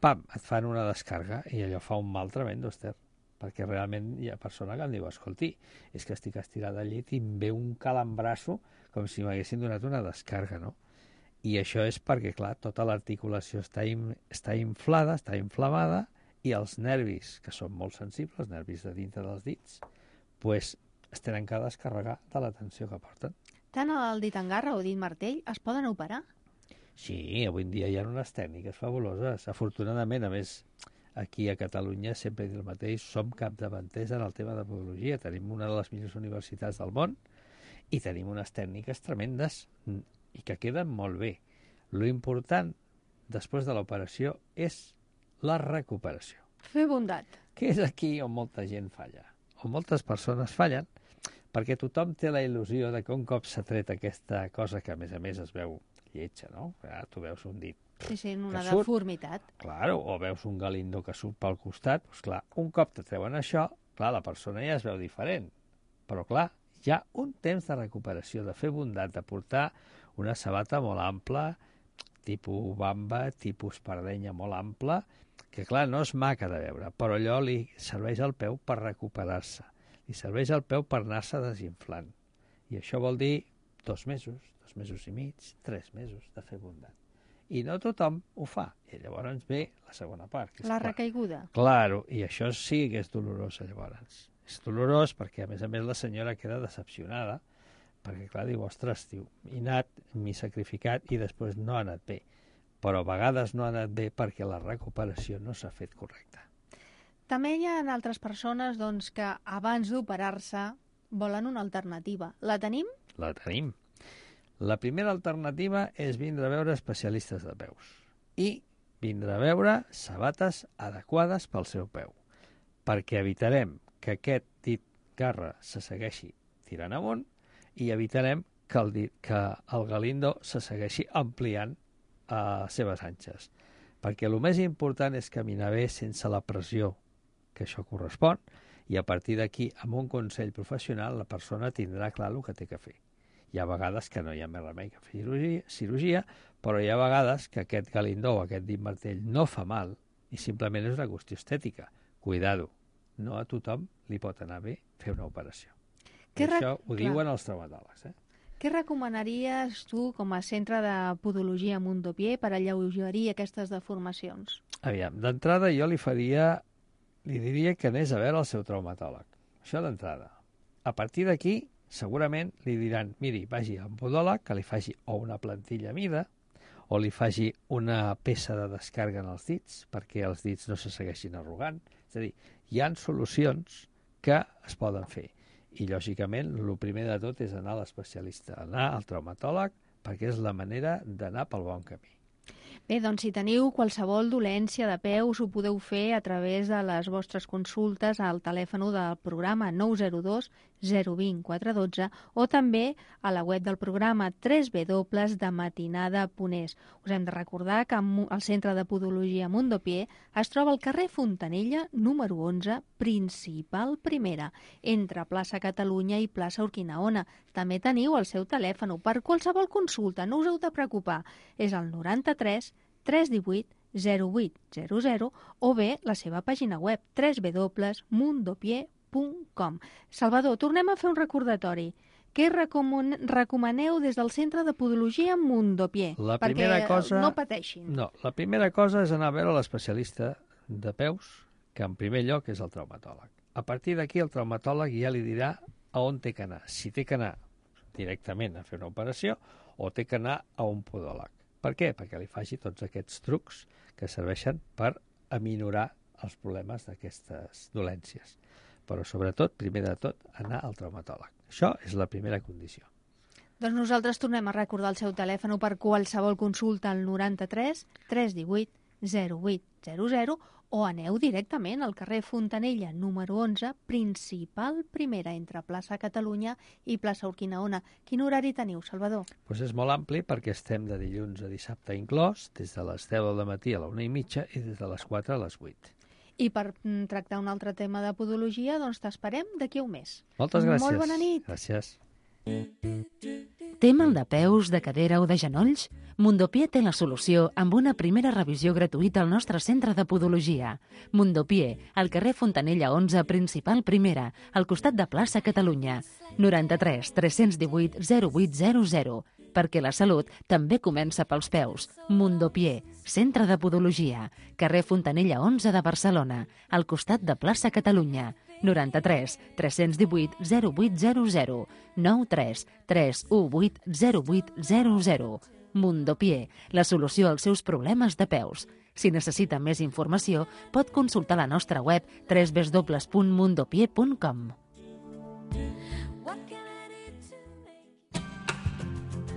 pam, et fan una descarga i allò fa un mal tremendo, Esther, perquè realment hi ha persona que em diu, escolti, és que estic estirada al llit i em ve un calambrasso com si m'haguessin donat una descarga, no? I això és perquè, clar, tota l'articulació està, in, està inflada, està inflamada, i els nervis, que són molt sensibles, els nervis de dintre dels dits, pues, es tenen que descarregar de la tensió que porten. Tant el dit en garra o dit martell es poden operar? Sí, avui en dia hi ha unes tècniques fabuloses. Afortunadament, a més, aquí a Catalunya, sempre dic el mateix, som capdavanters en el tema de podologia. Tenim una de les millors universitats del món i tenim unes tècniques tremendes i que queden molt bé. Lo important, després de l'operació, és la recuperació. Fer bondat. Que és aquí on molta gent falla, on moltes persones fallen, perquè tothom té la il·lusió de que un cop s'ha tret aquesta cosa que a més a més es veu lletja, no? Ja, tu veus un dit sí, sí, una que surt, deformitat. Claro, o veus un galindó que surt pel costat, doncs clar, un cop te treuen això, clar, la persona ja es veu diferent. Però clar, hi ha un temps de recuperació, de fer bondat, de portar una sabata molt ampla, tipus bamba, tipus espardenya molt ampla, que clar, no és maca de veure, però allò li serveix al peu per recuperar-se. Li serveix al peu per anar-se desinflant. I això vol dir dos mesos, dos mesos i mig, tres mesos de fer bondat. I no tothom ho fa. I llavors ve la segona part. Que és la clar. recaiguda. Claro, i això sí que és dolorós llavors. És dolorós perquè a més a més la senyora queda decepcionada perquè clar, diu, ostres, diu, he anat, m'he sacrificat i després no ha anat bé. Però a vegades no ha anat bé perquè la recuperació no s'ha fet correcta. També hi ha altres persones doncs, que abans d'operar-se volen una alternativa. La tenim? La tenim. La primera alternativa és vindre a veure especialistes de peus i vindre a veure sabates adequades pel seu peu, perquè evitarem que aquest dit garra se segueixi tirant amunt i evitarem que el, dit, que el galindó se segueixi ampliant a seves anxes. Perquè el més important és caminar bé sense la pressió que això correspon, i a partir d'aquí, amb un consell professional, la persona tindrà clar el que té que fer. Hi ha vegades que no hi ha més remei que fer cirurgia, cirurgia, però hi ha vegades que aquest galindó o aquest dit martell no fa mal i simplement és una qüestió estètica. Cuidado, no a tothom li pot anar bé fer una operació. I això ho diuen els traumatòlegs. Eh? Què recomanaries tu com a centre de podologia Mundopié per alleugerir aquestes deformacions? Aviam, d'entrada jo li faria, li diria que anés a veure el seu traumatòleg. Això d'entrada. A partir d'aquí, segurament li diran, miri, vagi a un podòleg que li faci o una plantilla a mida o li faci una peça de descàrrega en els dits perquè els dits no se segueixin arrugant. És a dir, hi ha solucions que es poden fer. I, lògicament, el primer de tot és anar a l'especialista, anar al traumatòleg, perquè és la manera d'anar pel bon camí. Bé, doncs si teniu qualsevol dolència de peus ho podeu fer a través de les vostres consultes al telèfon del programa nou zero dos zero dos zero quatre uno dos o també a la web del programa w w w punt dematinada punt es. Us hem de recordar que el Centre de Podologia Mundopié es troba al carrer Fontanella, número onze, principal primera, entre plaça Catalunya i plaça Urquinaona. També teniu el seu telèfon per qualsevol consulta, no us heu de preocupar. És el noranta-tres tres cent divuit zero vuit zero zero o bé la seva pàgina web w w w punt mundopié punt com. Salvador, tornem a fer un recordatori. Què recomaneu des del Centre de Podologia Mundopié? La primera perquè cosa... no pateixin. No, la primera cosa és anar a veure l'especialista de peus, que en primer lloc és el traumatòleg. A partir d'aquí el traumatòleg ja li dirà a on té que anar. Si té que anar directament a fer una operació o té que anar a un podòleg. Per què? Perquè li faci tots aquests trucs que serveixen per aminorar els problemes d'aquestes dolències. Però, sobretot, primer de tot, anar al traumatòleg. Això és la primera condició. Doncs nosaltres tornem a recordar el seu telèfon per qualsevol consulta al noranta-tres tres cent divuit zero vuit zero zero o aneu directament al carrer Fontanella, número onze, principal primera, entre plaça Catalunya i plaça Urquinaona. Quin horari teniu, Salvador? Pues és molt ampli perquè estem de dilluns a dissabte inclòs, des de les deu del matí a la una i mitja i des de les quatre a les vuit. I per tractar un altre tema de podologia, doncs t'esperem d'aquí a un mes. Moltes gràcies. Molt bona nit. Gràcies. Té mal de peus, de cadera o de genolls? Mundopié té la solució amb una primera revisió gratuïta al nostre centre de podologia. Mundopié, al carrer Fontanella onze, principal primera, al costat de plaça Catalunya. noranta-tres tres cents divuit zero vuit zero zero. Perquè la salut també comença pels peus. Mundopié, centre de podologia, carrer Fontanella onze de Barcelona, al costat de plaça Catalunya. noranta-tres tres cents divuit zero vuit zero zero, nou tres tres u vuit zero vuit zero zero. Mundopié, la solució als seus problemes de peus. Si necessita més informació, pot consultar la nostra web w w w punt mundopié punt com.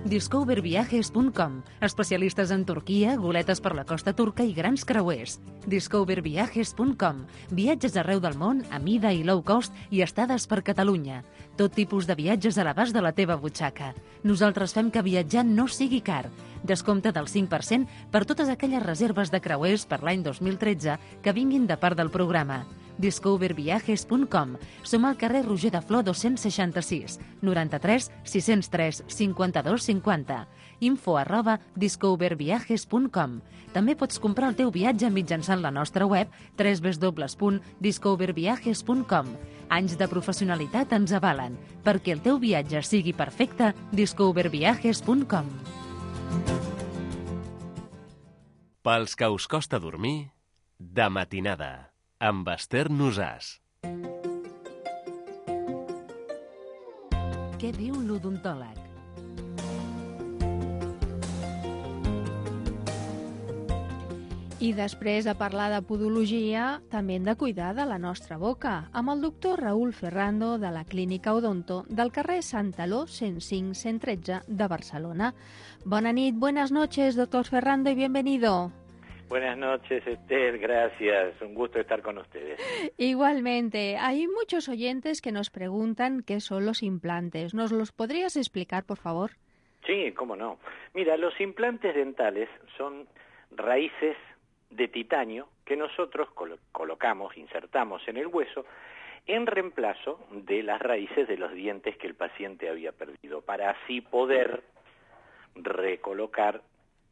discover viajes punt com, especialistes en Turquia, goletes per la costa turca i grans creuers. discover viajes punt com, viatges arreu del món a mida i low cost i estades per Catalunya. Tot tipus de viatges a l'abast de la teva butxaca. Nosaltres fem que viatjar no sigui car. Descompte del cinc per cent per totes aquelles reserves de creuers per l'any dos mil tretze que vinguin de part del programa. discover viajes punt com. Som al carrer Roger de Flor dos-cents seixanta-sis, noranta-tres sis zero tres cinquanta-dos cinquanta. Info arroba discover viajes punt com. També pots comprar el teu viatge mitjançant la nostra web w w w punt discover viajes punt com. Anys de professionalitat ens avalen. Perquè el teu viatge sigui perfecte, discover viajes punt com. Pels que us costa dormir, de matinada, amb Esther Nosàs. Què diu l'odontòleg? I després de parlar de podologia, també hem de cuidar de la nostra boca, amb el doctor Raúl Ferrando de la Clínica Odonto del carrer Santaló cent cinc cent tretze de Barcelona. Bona nit, buenas noches, doctor Ferrando, y bienvenido. Buenas noches, Esther, gracias. Un gusto estar con ustedes. Igualmente, hay muchos oyentes que nos preguntan qué son los implantes. ¿Nos los podrías explicar, por favor? Sí, cómo no. Mira, los implantes dentales son raíces de titanio que nosotros colo- colocamos, insertamos en el hueso en reemplazo de las raíces de los dientes que el paciente había perdido, para así poder recolocar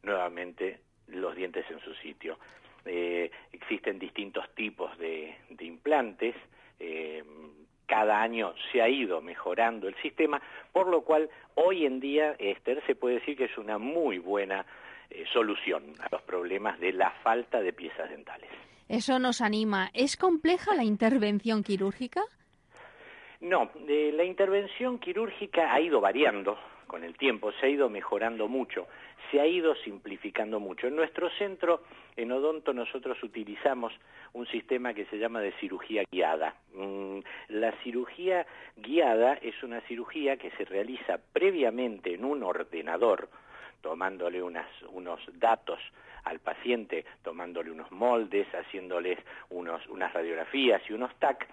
nuevamente los dientes en su sitio. eh, existen distintos tipos de, de implantes, eh, cada año se ha ido mejorando el sistema, por lo cual hoy en día, Esther, se puede decir que es una muy buena eh, solución a los problemas de la falta de piezas dentales. Eso nos anima. ¿Es compleja la intervención quirúrgica? No, eh, la intervención quirúrgica ha ido variando con el tiempo, se ha ido mejorando mucho, se ha ido simplificando mucho. En nuestro centro, en Odonto, nosotros utilizamos un sistema que se llama de cirugía guiada. Mm, la cirugía guiada es una cirugía que se realiza previamente en un ordenador, tomándole unas, unos datos al paciente, tomándole unos moldes, haciéndoles unos, unas radiografías y unos T A C.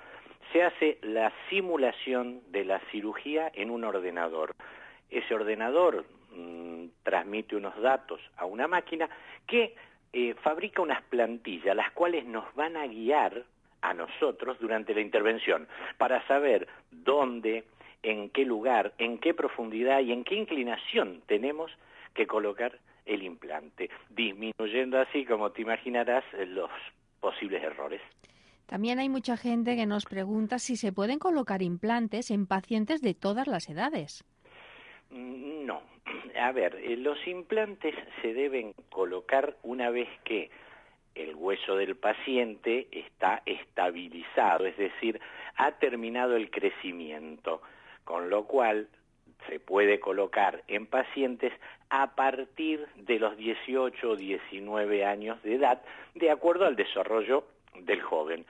Se hace la simulación de la cirugía en un ordenador. Ese ordenador mmm, transmite unos datos a una máquina que eh, fabrica unas plantillas, las cuales nos van a guiar a nosotros durante la intervención para saber dónde, en qué lugar, en qué profundidad y en qué inclinación tenemos que colocar el implante, disminuyendo así, como te imaginarás, los posibles errores. También hay mucha gente que nos pregunta si se pueden colocar implantes en pacientes de todas las edades. No. A ver, los implantes se deben colocar una vez que el hueso del paciente está estabilizado, es decir, ha terminado el crecimiento, con lo cual se puede colocar en pacientes a partir de los dieciocho o diecinueve años de edad, de acuerdo al desarrollo del joven.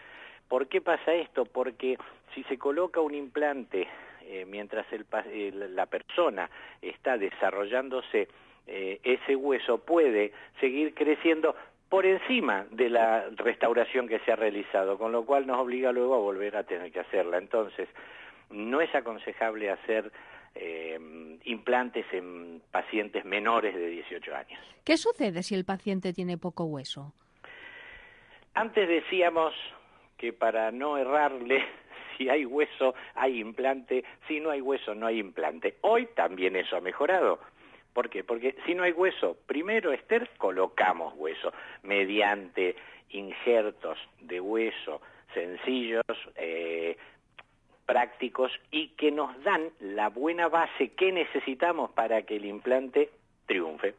¿Por qué pasa esto? Porque si se coloca un implante eh, mientras el, eh, la persona está desarrollándose, eh, ese hueso puede seguir creciendo por encima de la restauración que se ha realizado, con lo cual nos obliga luego a volver a tener que hacerla. Entonces, no es aconsejable hacer eh, implantes en pacientes menores de dieciocho años. ¿Qué sucede si el paciente tiene poco hueso? Antes decíamos que para no errarle, si hay hueso, hay implante, si no hay hueso, no hay implante. Hoy también eso ha mejorado. ¿Por qué? Porque si no hay hueso, primero, Esther, colocamos hueso mediante injertos de hueso sencillos, eh, prácticos y que nos dan la buena base que necesitamos para que el implante triunfe.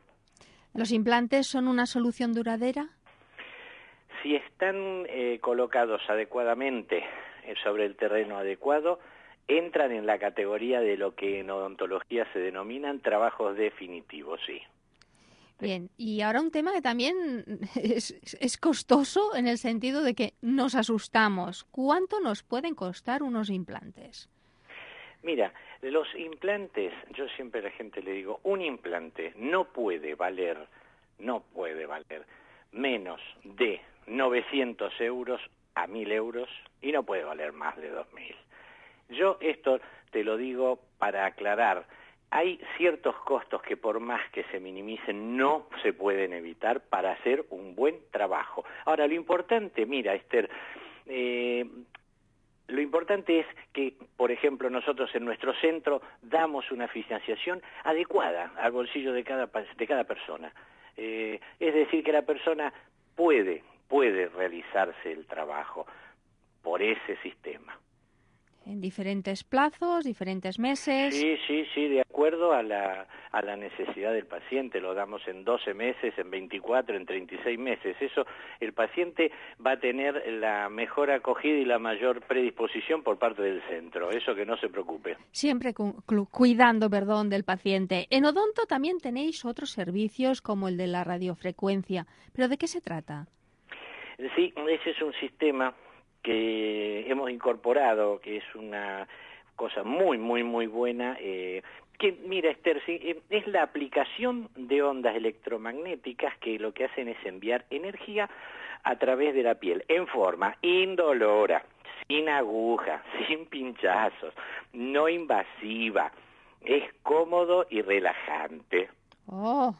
¿Los implantes son una solución duradera? Si están eh, colocados adecuadamente eh, sobre el terreno adecuado, entran en la categoría de lo que en odontología se denominan trabajos definitivos, sí. Bien, y ahora un tema que también es, es costoso en el sentido de que nos asustamos. ¿Cuánto nos pueden costar unos implantes? Mira, los implantes, yo siempre a la gente le digo, un implante no puede valer, no puede valer menos de novecientos euros a mil euros y no puede valer más de dos mil. Yo esto te lo digo para aclarar. Hay ciertos costos que por más que se minimicen no se pueden evitar para hacer un buen trabajo. Ahora, lo importante, mira, Esther, eh, lo importante es que, por ejemplo, nosotros en nuestro centro damos una financiación adecuada al bolsillo de cada, de cada persona. Eh, es decir, que la persona puede, puede realizarse el trabajo por ese sistema. En diferentes plazos, diferentes meses. Sí, sí, sí, de acuerdo a la, a la necesidad del paciente. Lo damos en doce meses, en veinticuatro, en treinta y seis meses. Eso, el paciente va a tener la mejor acogida y la mayor predisposición por parte del centro. Eso que no se preocupe. Siempre cu cuidando, perdón, del paciente. En Odonto también tenéis otros servicios como el de la radiofrecuencia. ¿Pero de qué se trata? Sí, ese es un sistema que hemos incorporado, que es una cosa muy, muy, muy buena, eh, que, mira, Esther, sí, eh, es la aplicación de ondas electromagnéticas que lo que hacen es enviar energía a través de la piel, en forma indolora, sin aguja, sin pinchazos, no invasiva, es cómodo y relajante. ¡Oh!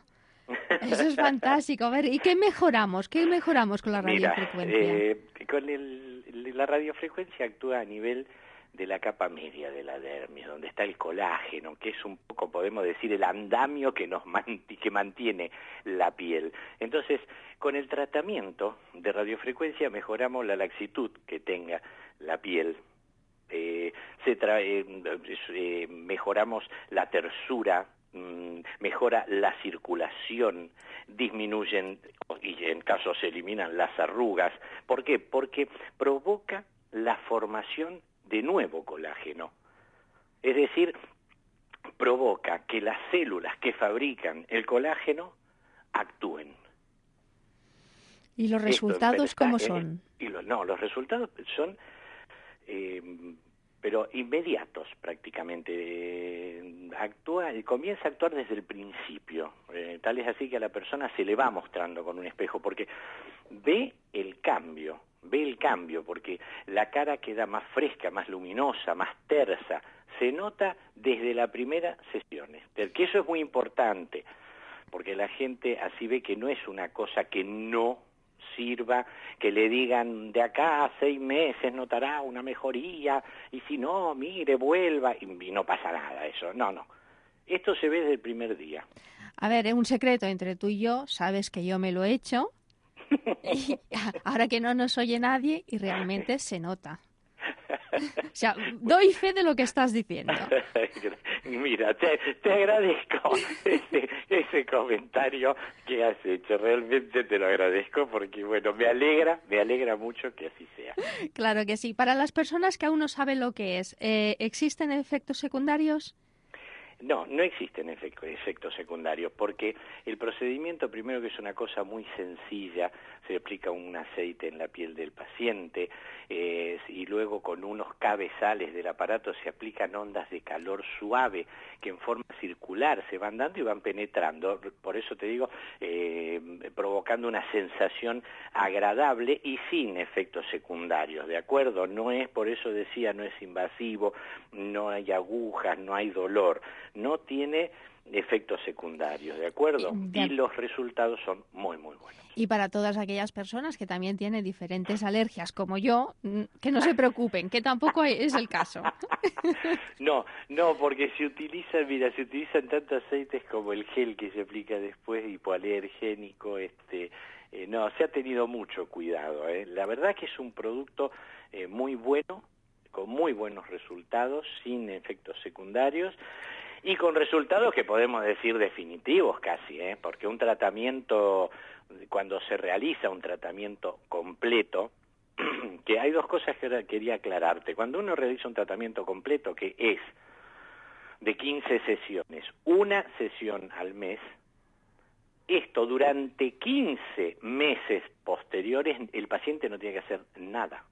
Eso es fantástico. A ver, ¿y qué mejoramos? ¿Qué mejoramos con la radiofrecuencia? Mira, eh, con el, la radiofrecuencia actúa a nivel de la capa media de la dermis, donde está el colágeno, que es un poco, podemos decir, el andamio que nos manti- que mantiene la piel. Entonces, con el tratamiento de radiofrecuencia mejoramos la laxitud que tenga la piel. Eh, se tra- eh, eh, mejoramos la tersura, mmm, mejora la circulación, disminuyen y en caso se eliminan las arrugas. ¿Por qué? Porque provoca la formación de nuevo colágeno. Es decir, provoca que las células que fabrican el colágeno actúen. ¿Y los resultados Esto, está, cómo eh, son? Y lo, no, los resultados son, eh, pero inmediatos prácticamente. Eh, actúa, comienza a actuar desde el principio. Eh, tal es así que a la persona se le va mostrando con un espejo, porque ve el cambio, ve el cambio, porque la cara queda más fresca, más luminosa, más tersa. Se nota desde la primera sesión, que eso es muy importante, porque la gente así ve que no es una cosa que no sirva, que le digan de acá a seis meses notará una mejoría, y si no, mire, vuelva, y, y no pasa nada eso. No, no. Esto se ve desde el primer día. A ver, es un secreto entre tú y yo, sabes que yo me lo he hecho, y ahora que no nos oye nadie, y realmente se nota. O sea, doy fe de lo que estás diciendo. Mira, te, te agradezco ese, ese comentario que has hecho. Realmente te lo agradezco porque, bueno, me alegra, me alegra mucho que así sea. Claro que sí. Para las personas que aún no saben lo que es, eh, ¿existen efectos secundarios? No, no existen efectos, efectos secundarios, porque el procedimiento, primero que es una cosa muy sencilla, se aplica un aceite en la piel del paciente, eh, y luego con unos cabezales del aparato se aplican ondas de calor suave que en forma circular se van dando y van penetrando, por eso te digo, eh, provocando una sensación agradable y sin efectos secundarios, ¿de acuerdo? No es, por eso decía, no es invasivo, no hay agujas, no hay dolor, no tiene efectos secundarios, ¿de acuerdo? Y los resultados son muy, muy buenos. Y para todas aquellas personas que también tienen diferentes alergias, como yo, que no se preocupen, que tampoco es el caso. No, no, porque se utilizan, mira, se utilizan tanto aceites como el gel que se aplica después, hipoalergénico, este, eh, no, se ha tenido mucho cuidado, ¿eh? La verdad que es un producto eh, muy bueno, con muy buenos resultados, sin efectos secundarios, y con resultados que podemos decir definitivos casi, ¿eh? Porque un tratamiento, cuando se realiza un tratamiento completo, que hay dos cosas que quería aclararte. Cuando uno realiza un tratamiento completo, que es de quince sesiones, una sesión al mes, esto durante quince meses posteriores el paciente no tiene que hacer nada.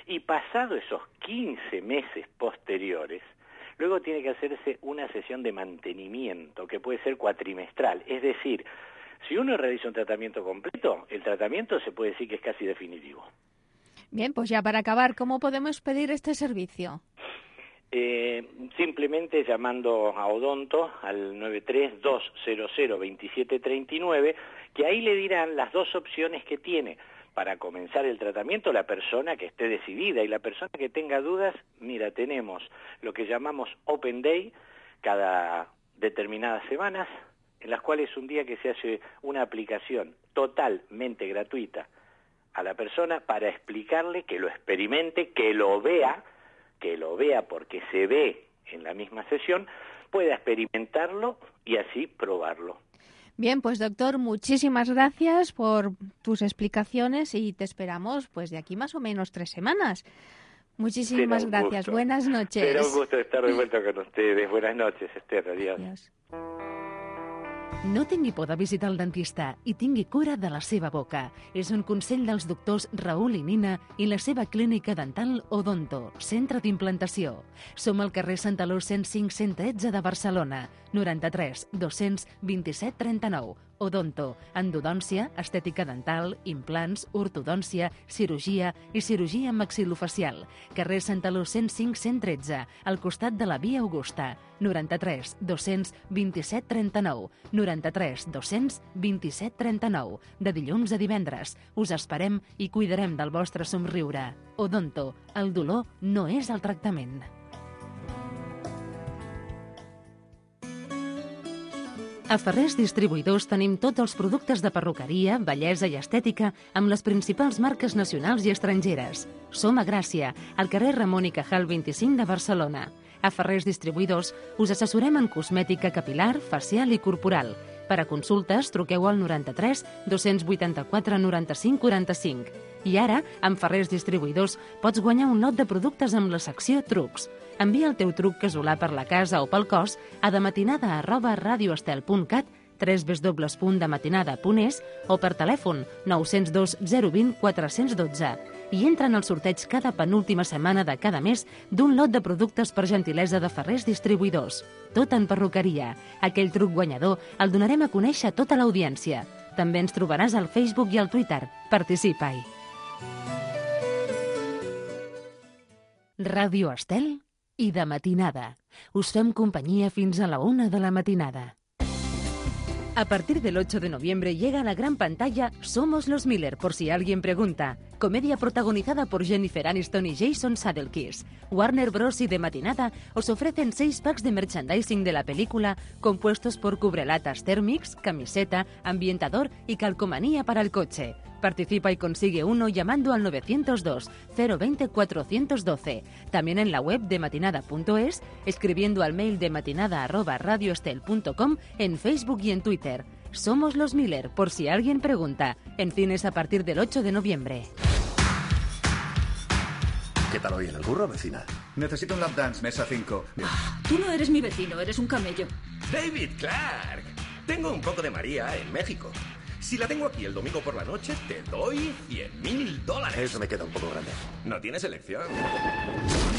Y pasado esos quince meses posteriores, luego tiene que hacerse una sesión de mantenimiento, que puede ser cuatrimestral. Es decir, si uno realiza un tratamiento completo, el tratamiento se puede decir que es casi definitivo. Bien, pues ya para acabar, ¿cómo podemos pedir este servicio? Eh, simplemente llamando a Odonto al nueve tres dos cero cero dos siete tres nueve, que ahí le dirán las dos opciones que tiene para comenzar el tratamiento la persona que esté decidida, y la persona que tenga dudas, mira, tenemos lo que llamamos Open Day cada determinadas semanas, en las cuales un día que se hace una aplicación totalmente gratuita a la persona para explicarle que lo experimente, que lo vea, que lo vea porque se ve en la misma sesión, pueda experimentarlo y así probarlo. Bien, pues doctor, muchísimas gracias por tus explicaciones y te esperamos pues de aquí más o menos tres semanas. Muchísimas gracias. Gusto. Buenas noches. Será un gusto estar de vuelta con ustedes. Buenas noches, Esther. Adiós. Adiós. No tingui por de visitar el dentista i tingui cura de la seva boca. És un consell dels doctors Raül i Nina i la seva clínica dental Odonto, centre d'implantació. Som al carrer Santaló cent cinc cent tretze de Barcelona, noranta-tres dos cents vint-i-set trenta-nou. Odonto, endodòncia, estètica dental, implants, ortodòncia, cirurgia i cirurgia maxilofacial. Carrer Santaló cent cinc cent tretze, al costat de la Via Augusta. noranta-tres dos-cents vint-i-set trenta-nou. noranta-tres dos-cents vint-i-set trenta-nou. De dilluns a divendres. Us esperem i cuidarem del vostre somriure. Odonto, el dolor no és el tractament. A Ferrers Distribuïdors tenim tots els productes de perruqueria, bellesa i estètica amb les principals marques nacionals i estrangeres. Som a Gràcia, al carrer Ramon i Cajal vint-i-cinc de Barcelona. A Ferrers Distribuïdors us assessorem en cosmètica capilar, facial i corporal. Per a consultes, truqueu al noranta-tres dos-cents vuitanta-quatre noranta-cinc quaranta-cinc. I ara, amb Ferrers Distribuïdors, pots guanyar un lot de productes amb la secció Trucs. Envia el teu truc casolà per la casa o pel cos a dematinada arroba radioestel punt cat, w w w punt dematinada punt es o per telèfon nou zero dos zero dos zero quatre un dos i entra en el sorteig cada penúltima setmana de cada mes d'un lot de productes per gentilesa de Ferrers Distribuïdors. Tot en perruqueria. Aquell truc guanyador el donarem a conèixer a tota l'audiència. També ens trobaràs al Facebook i al Twitter. Participa-hi. Ràdio Estel i de matinada. Us fem companyia fins a la una de la matinada. A partir del ocho de noviembre llega a la gran pantalla Somos los Miller, por si alguien pregunta. Comedia protagonizada por Jennifer Aniston y Jason Sudeikis. Warner Bros. Y de matinada os ofrecen seis packs de merchandising de la película compuestos por cubrelatas Thermix, camiseta, ambientador y calcomanía para el coche. Participa y consigue uno llamando al nueve cero dos cero dos cero cuatro uno dos. También en la web de matinada punto es, escribiendo al mail de matinada arroba radioestel punto com, en Facebook y en Twitter. Somos los Miller, por si alguien pregunta. En cines a partir del ocho de noviembre. ¿Qué tal hoy en el curro, vecina? Necesito un lap dance, mesa cinco. Ah, tú no eres mi vecino, eres un camello. David Clark. Tengo un poco de María en México. Si la tengo aquí el domingo por la noche, te doy cien mil dólares. Eso me queda un poco grande. No tienes elección.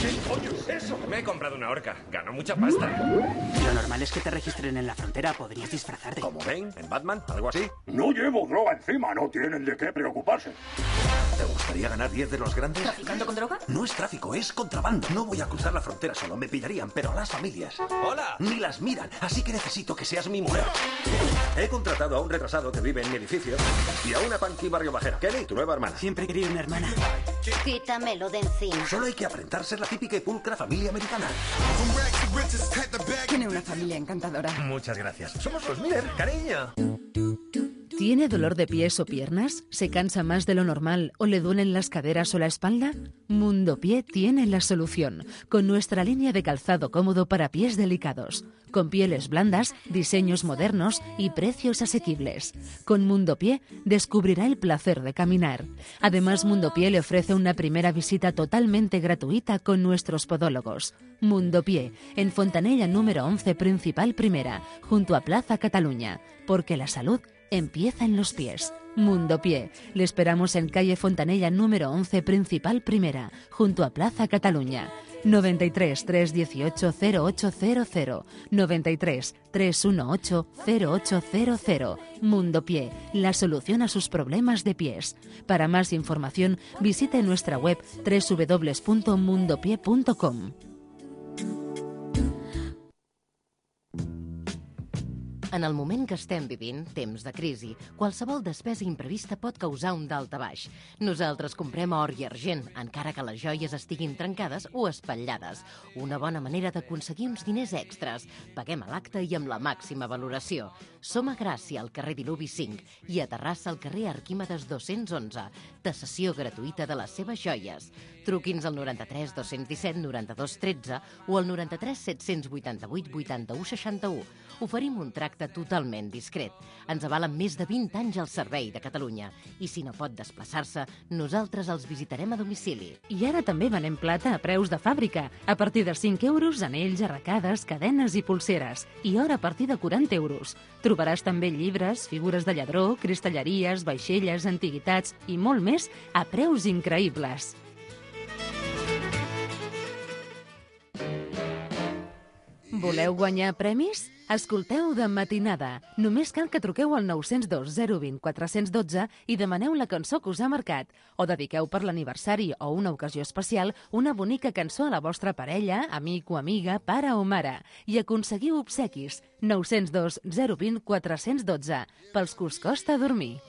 ¿Qué coño es eso? Me he comprado una horca. Gano mucha pasta. Lo normal es que te registren en la frontera. Podrías disfrazarte. ¿Como Bane? ¿En Batman? ¿Algo así? No llevo droga encima. No tienen de qué preocuparse. ¿Te gustaría ganar diez de los grandes? ¿Traficando con droga? No es tráfico, es contrabando. No voy a cruzar la frontera solo. Me pillarían, pero a las familias. ¡Hola! Ni las miran. Así que necesito que seas mi mujer. He contratado a un retrasado que vive en mi edificio y a una punky barrio bajera. Kelly, tu nueva hermana. Siempre quería una hermana. Quítamelo de encima. Solo hay que aparentar ser la típica y pulcra familia americana. Tiene una familia encantadora. Muchas gracias. Somos los Miller, cariño. ¿Tiene dolor de pies o piernas? ¿Se cansa más de lo normal o le duelen las caderas o la espalda? Mundo Pie tiene la solución, con nuestra línea de calzado cómodo para pies delicados, con pieles blandas, diseños modernos y precios asequibles. Con Mundo Pie descubrirá el placer de caminar. Además, Mundo Pie le ofrece una primera visita totalmente gratuita con nuestros podólogos. Mundo Pie, en Fontanella número once, Principal Primera, junto a Plaza Cataluña, porque la salud empieza en los pies. Mundo Pie. Le esperamos en calle Fontanella número once, Principal Primera, junto a Plaza Cataluña. noventa y tres, trescientos dieciocho, cero ocho cero cero. noventa y tres, trescientos dieciocho, cero ocho cero cero. Mundo Pie, la solución a sus problemas de pies. Para más información, visite nuestra web doble u doble u doble u punto mundo pie punto com. En el moment que estem vivint, temps de crisi, qualsevol despesa imprevista pot causar un daltabaix. Nosaltres comprem or i argent, encara que les joies estiguin trencades o espatllades. Una bona manera d'aconseguir uns diners extras. Paguem a l'acte i amb la màxima valoració. Som a Gràcia, al carrer Diluvi cinc, i a Terrassa, al carrer Arquímedes dos-cents onze. Tasació gratuïta de les seves joies. Truqui'ns al noranta-tres dos-cents disset noranta-dos tretze o al noranta-tres set-cents vuitanta-vuit vuitanta-u seixanta-u. Oferim un tracte totalment discret. Ens avalen més de vint anys al servei de Catalunya. I si no pot desplaçar-se, nosaltres els visitarem a domicili. I ara també venem plata a preus de fàbrica. A partir de cinc euros, anells, arracades, cadenes i pulseres. I or a partir de quaranta euros. Trobaràs també llibres, figures de lladró, cristalleries, vaixelles, antiguitats i molt més a preus increïbles. Voleu guanyar premis? Escolteu De Matinada. Només cal que truqueu al nou zero dos zero dos zero quatre un dos i demaneu la cançó que us ha marcat. O dediqueu per l'aniversari o una ocasió especial una bonica cançó a la vostra parella, amic o amiga, pare o mare. I aconseguiu obsequis. nou zero dos zero dos zero quatre un dos pels que us costa dormir.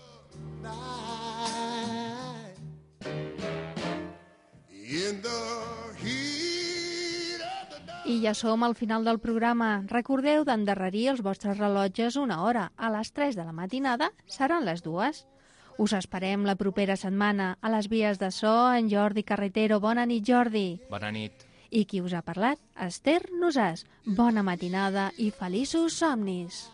I ja som al final del programa. Recordeu d'endarrerir els vostres rellotges una hora. A les tres de la matinada seran les dues. Us esperem la propera setmana. A les vies de so, en Jordi Carretero. Bona nit, Jordi. Bona nit. I qui us ha parlat? Esther Nosàs. Bona matinada i feliços somnis.